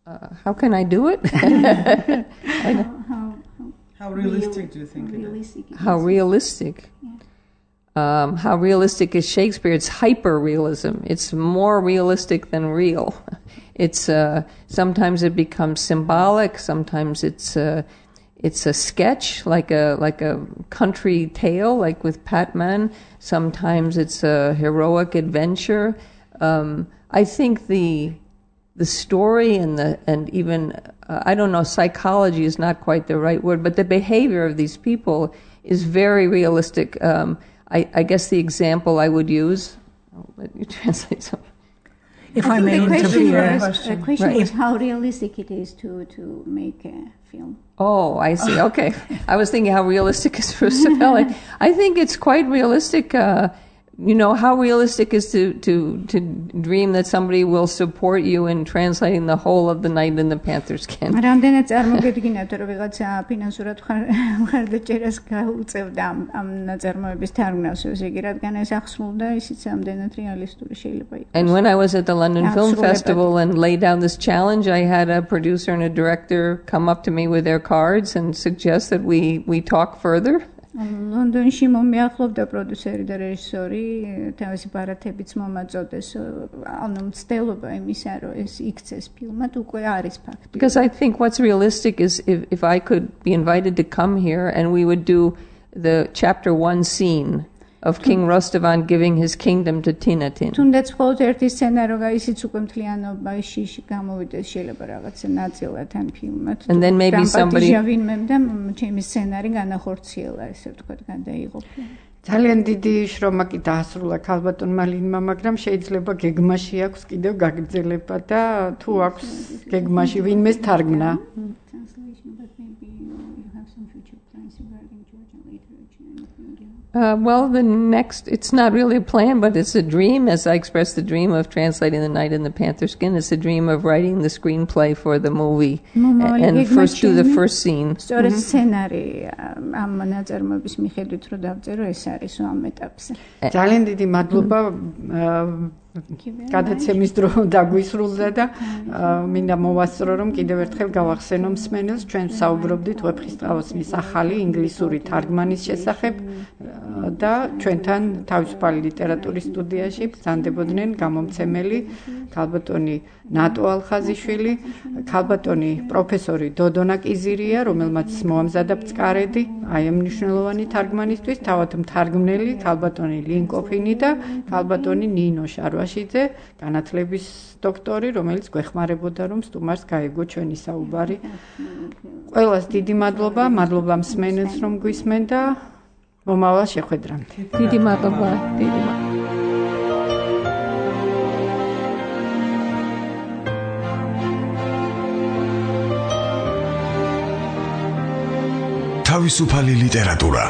Uh, how can I do it? I know. How, how realistic do you think it is? How realistic? Um, how realistic is Shakespeare? It's hyper-realism. It's more realistic than real. It's uh, sometimes it becomes symbolic. Sometimes it's uh, it's a sketch, like a like a country tale, like with Patman. Sometimes it's a heroic adventure. Um, I think the the story and the and even uh, I don't know, psychology is not quite the right word, but the behavior of these people is very realistic. Um, I, I guess the example I would use. I'll let you translate something. If I, I may interfere, the question right. is how realistic it is to to make a film. Oh, I see. Okay, I was thinking how realistic is Roosevelt. I think it's quite realistic. Uh, You know, how realistic is to, to, to dream that somebody will support you in translating the whole of The Night in the Panther Skin? რამდენად წარმოგედგინათ, რომ ვიღაცა ფინანსურად მხარდაჭერას გაუწევდა ამ ნაწარმოების თარგმნას, ესე იგი, რადგან ეს ახსნულდა, ისიც ამდენად რეალისტური შეიძლება იყოს. And when I was at the London Film Festival and laid down this challenge, I had a producer and a director come up to me with their cards and suggest that we, we talk further. ლონდონში მომიახლოვდა პროდიუსერი და რეჟისორი, თავისი ბარათებიც მომაწოდეს, ანუ მცდელობა იმისა, რომ ეს იქცეს ფილმად, უკვე არის ფაქტი. Because I think what's realistic is if, if I could be invited to come here and we would do the chapter one scene of King Rostavan giving his kingdom to Tinatin. თუნდაც მხოლოდ ერთი სცენარო გაისიც უკვე მთლიანობაში გამოვიდეს შეიძლება რაღაცა ნაწილად ან ფილმად. And then maybe somebody ვინმემ და ჩემი სცენარი განახორციელა, ესე ვთქვათ, გადაიღო. ძალიან დიდი შრომა კი დაასრულა ქალბატონმა ლინმა, მაგრამ შეიძლება გეგმაში აქვს კიდევ გაგრძელება და თუ აქვს გეგმაში ვინმეს თარგმნა. Uh, well, the next, it's not really a plan, but it's a dream, as I expressed the dream of translating The Night in the Panther Skin. It's a dream of writing the screenplay for the movie and, and first do the first scene. სწორედ სცენარი ამ ნაწარმოების მიხედვით რომ დავწერო, ეს არის ამ ეტაპზე. ძალიან დიდი მადლობა გადაცემის დრო დაგვისრულდა და მინდა მოვასწრო რომ კიდევ ერთხელ გავახსენო მსმენელს, ჩვენ საუბრობდით ვეფხისტყაოსნის ახალი ინგლისური თარგმანის შესახებ და ჩვენთან თავისუფალი ლიტერატურის სტუდიაში ბრძანდებოდნენ გამომცემელი ქალბატონი ნატო ალხაზიშვილი, ქალბატონი პროფესორი დოდონა კიზირია, რომელმაც მოამზადა ბწყარედი აი ამ მნიშვნელოვანი თარგმანისთვის, თავად მთარგმნელი ქალბატონი ლინკოფინი და ქალბატონი ნინო შარვაშიძე, განათლების დოქტორი, რომელიც გვეხმარებოდა რომ სტუმარს გაეგო ჩვენი საუბარი. ყველას დიდი მადლობა, მადლობა მსმენელს რომ გვისმენდა. მომავალ შეხვედრამდე. დიდი მადლობა, დიდი მადლობა. თავისუფალი ლიტერატურა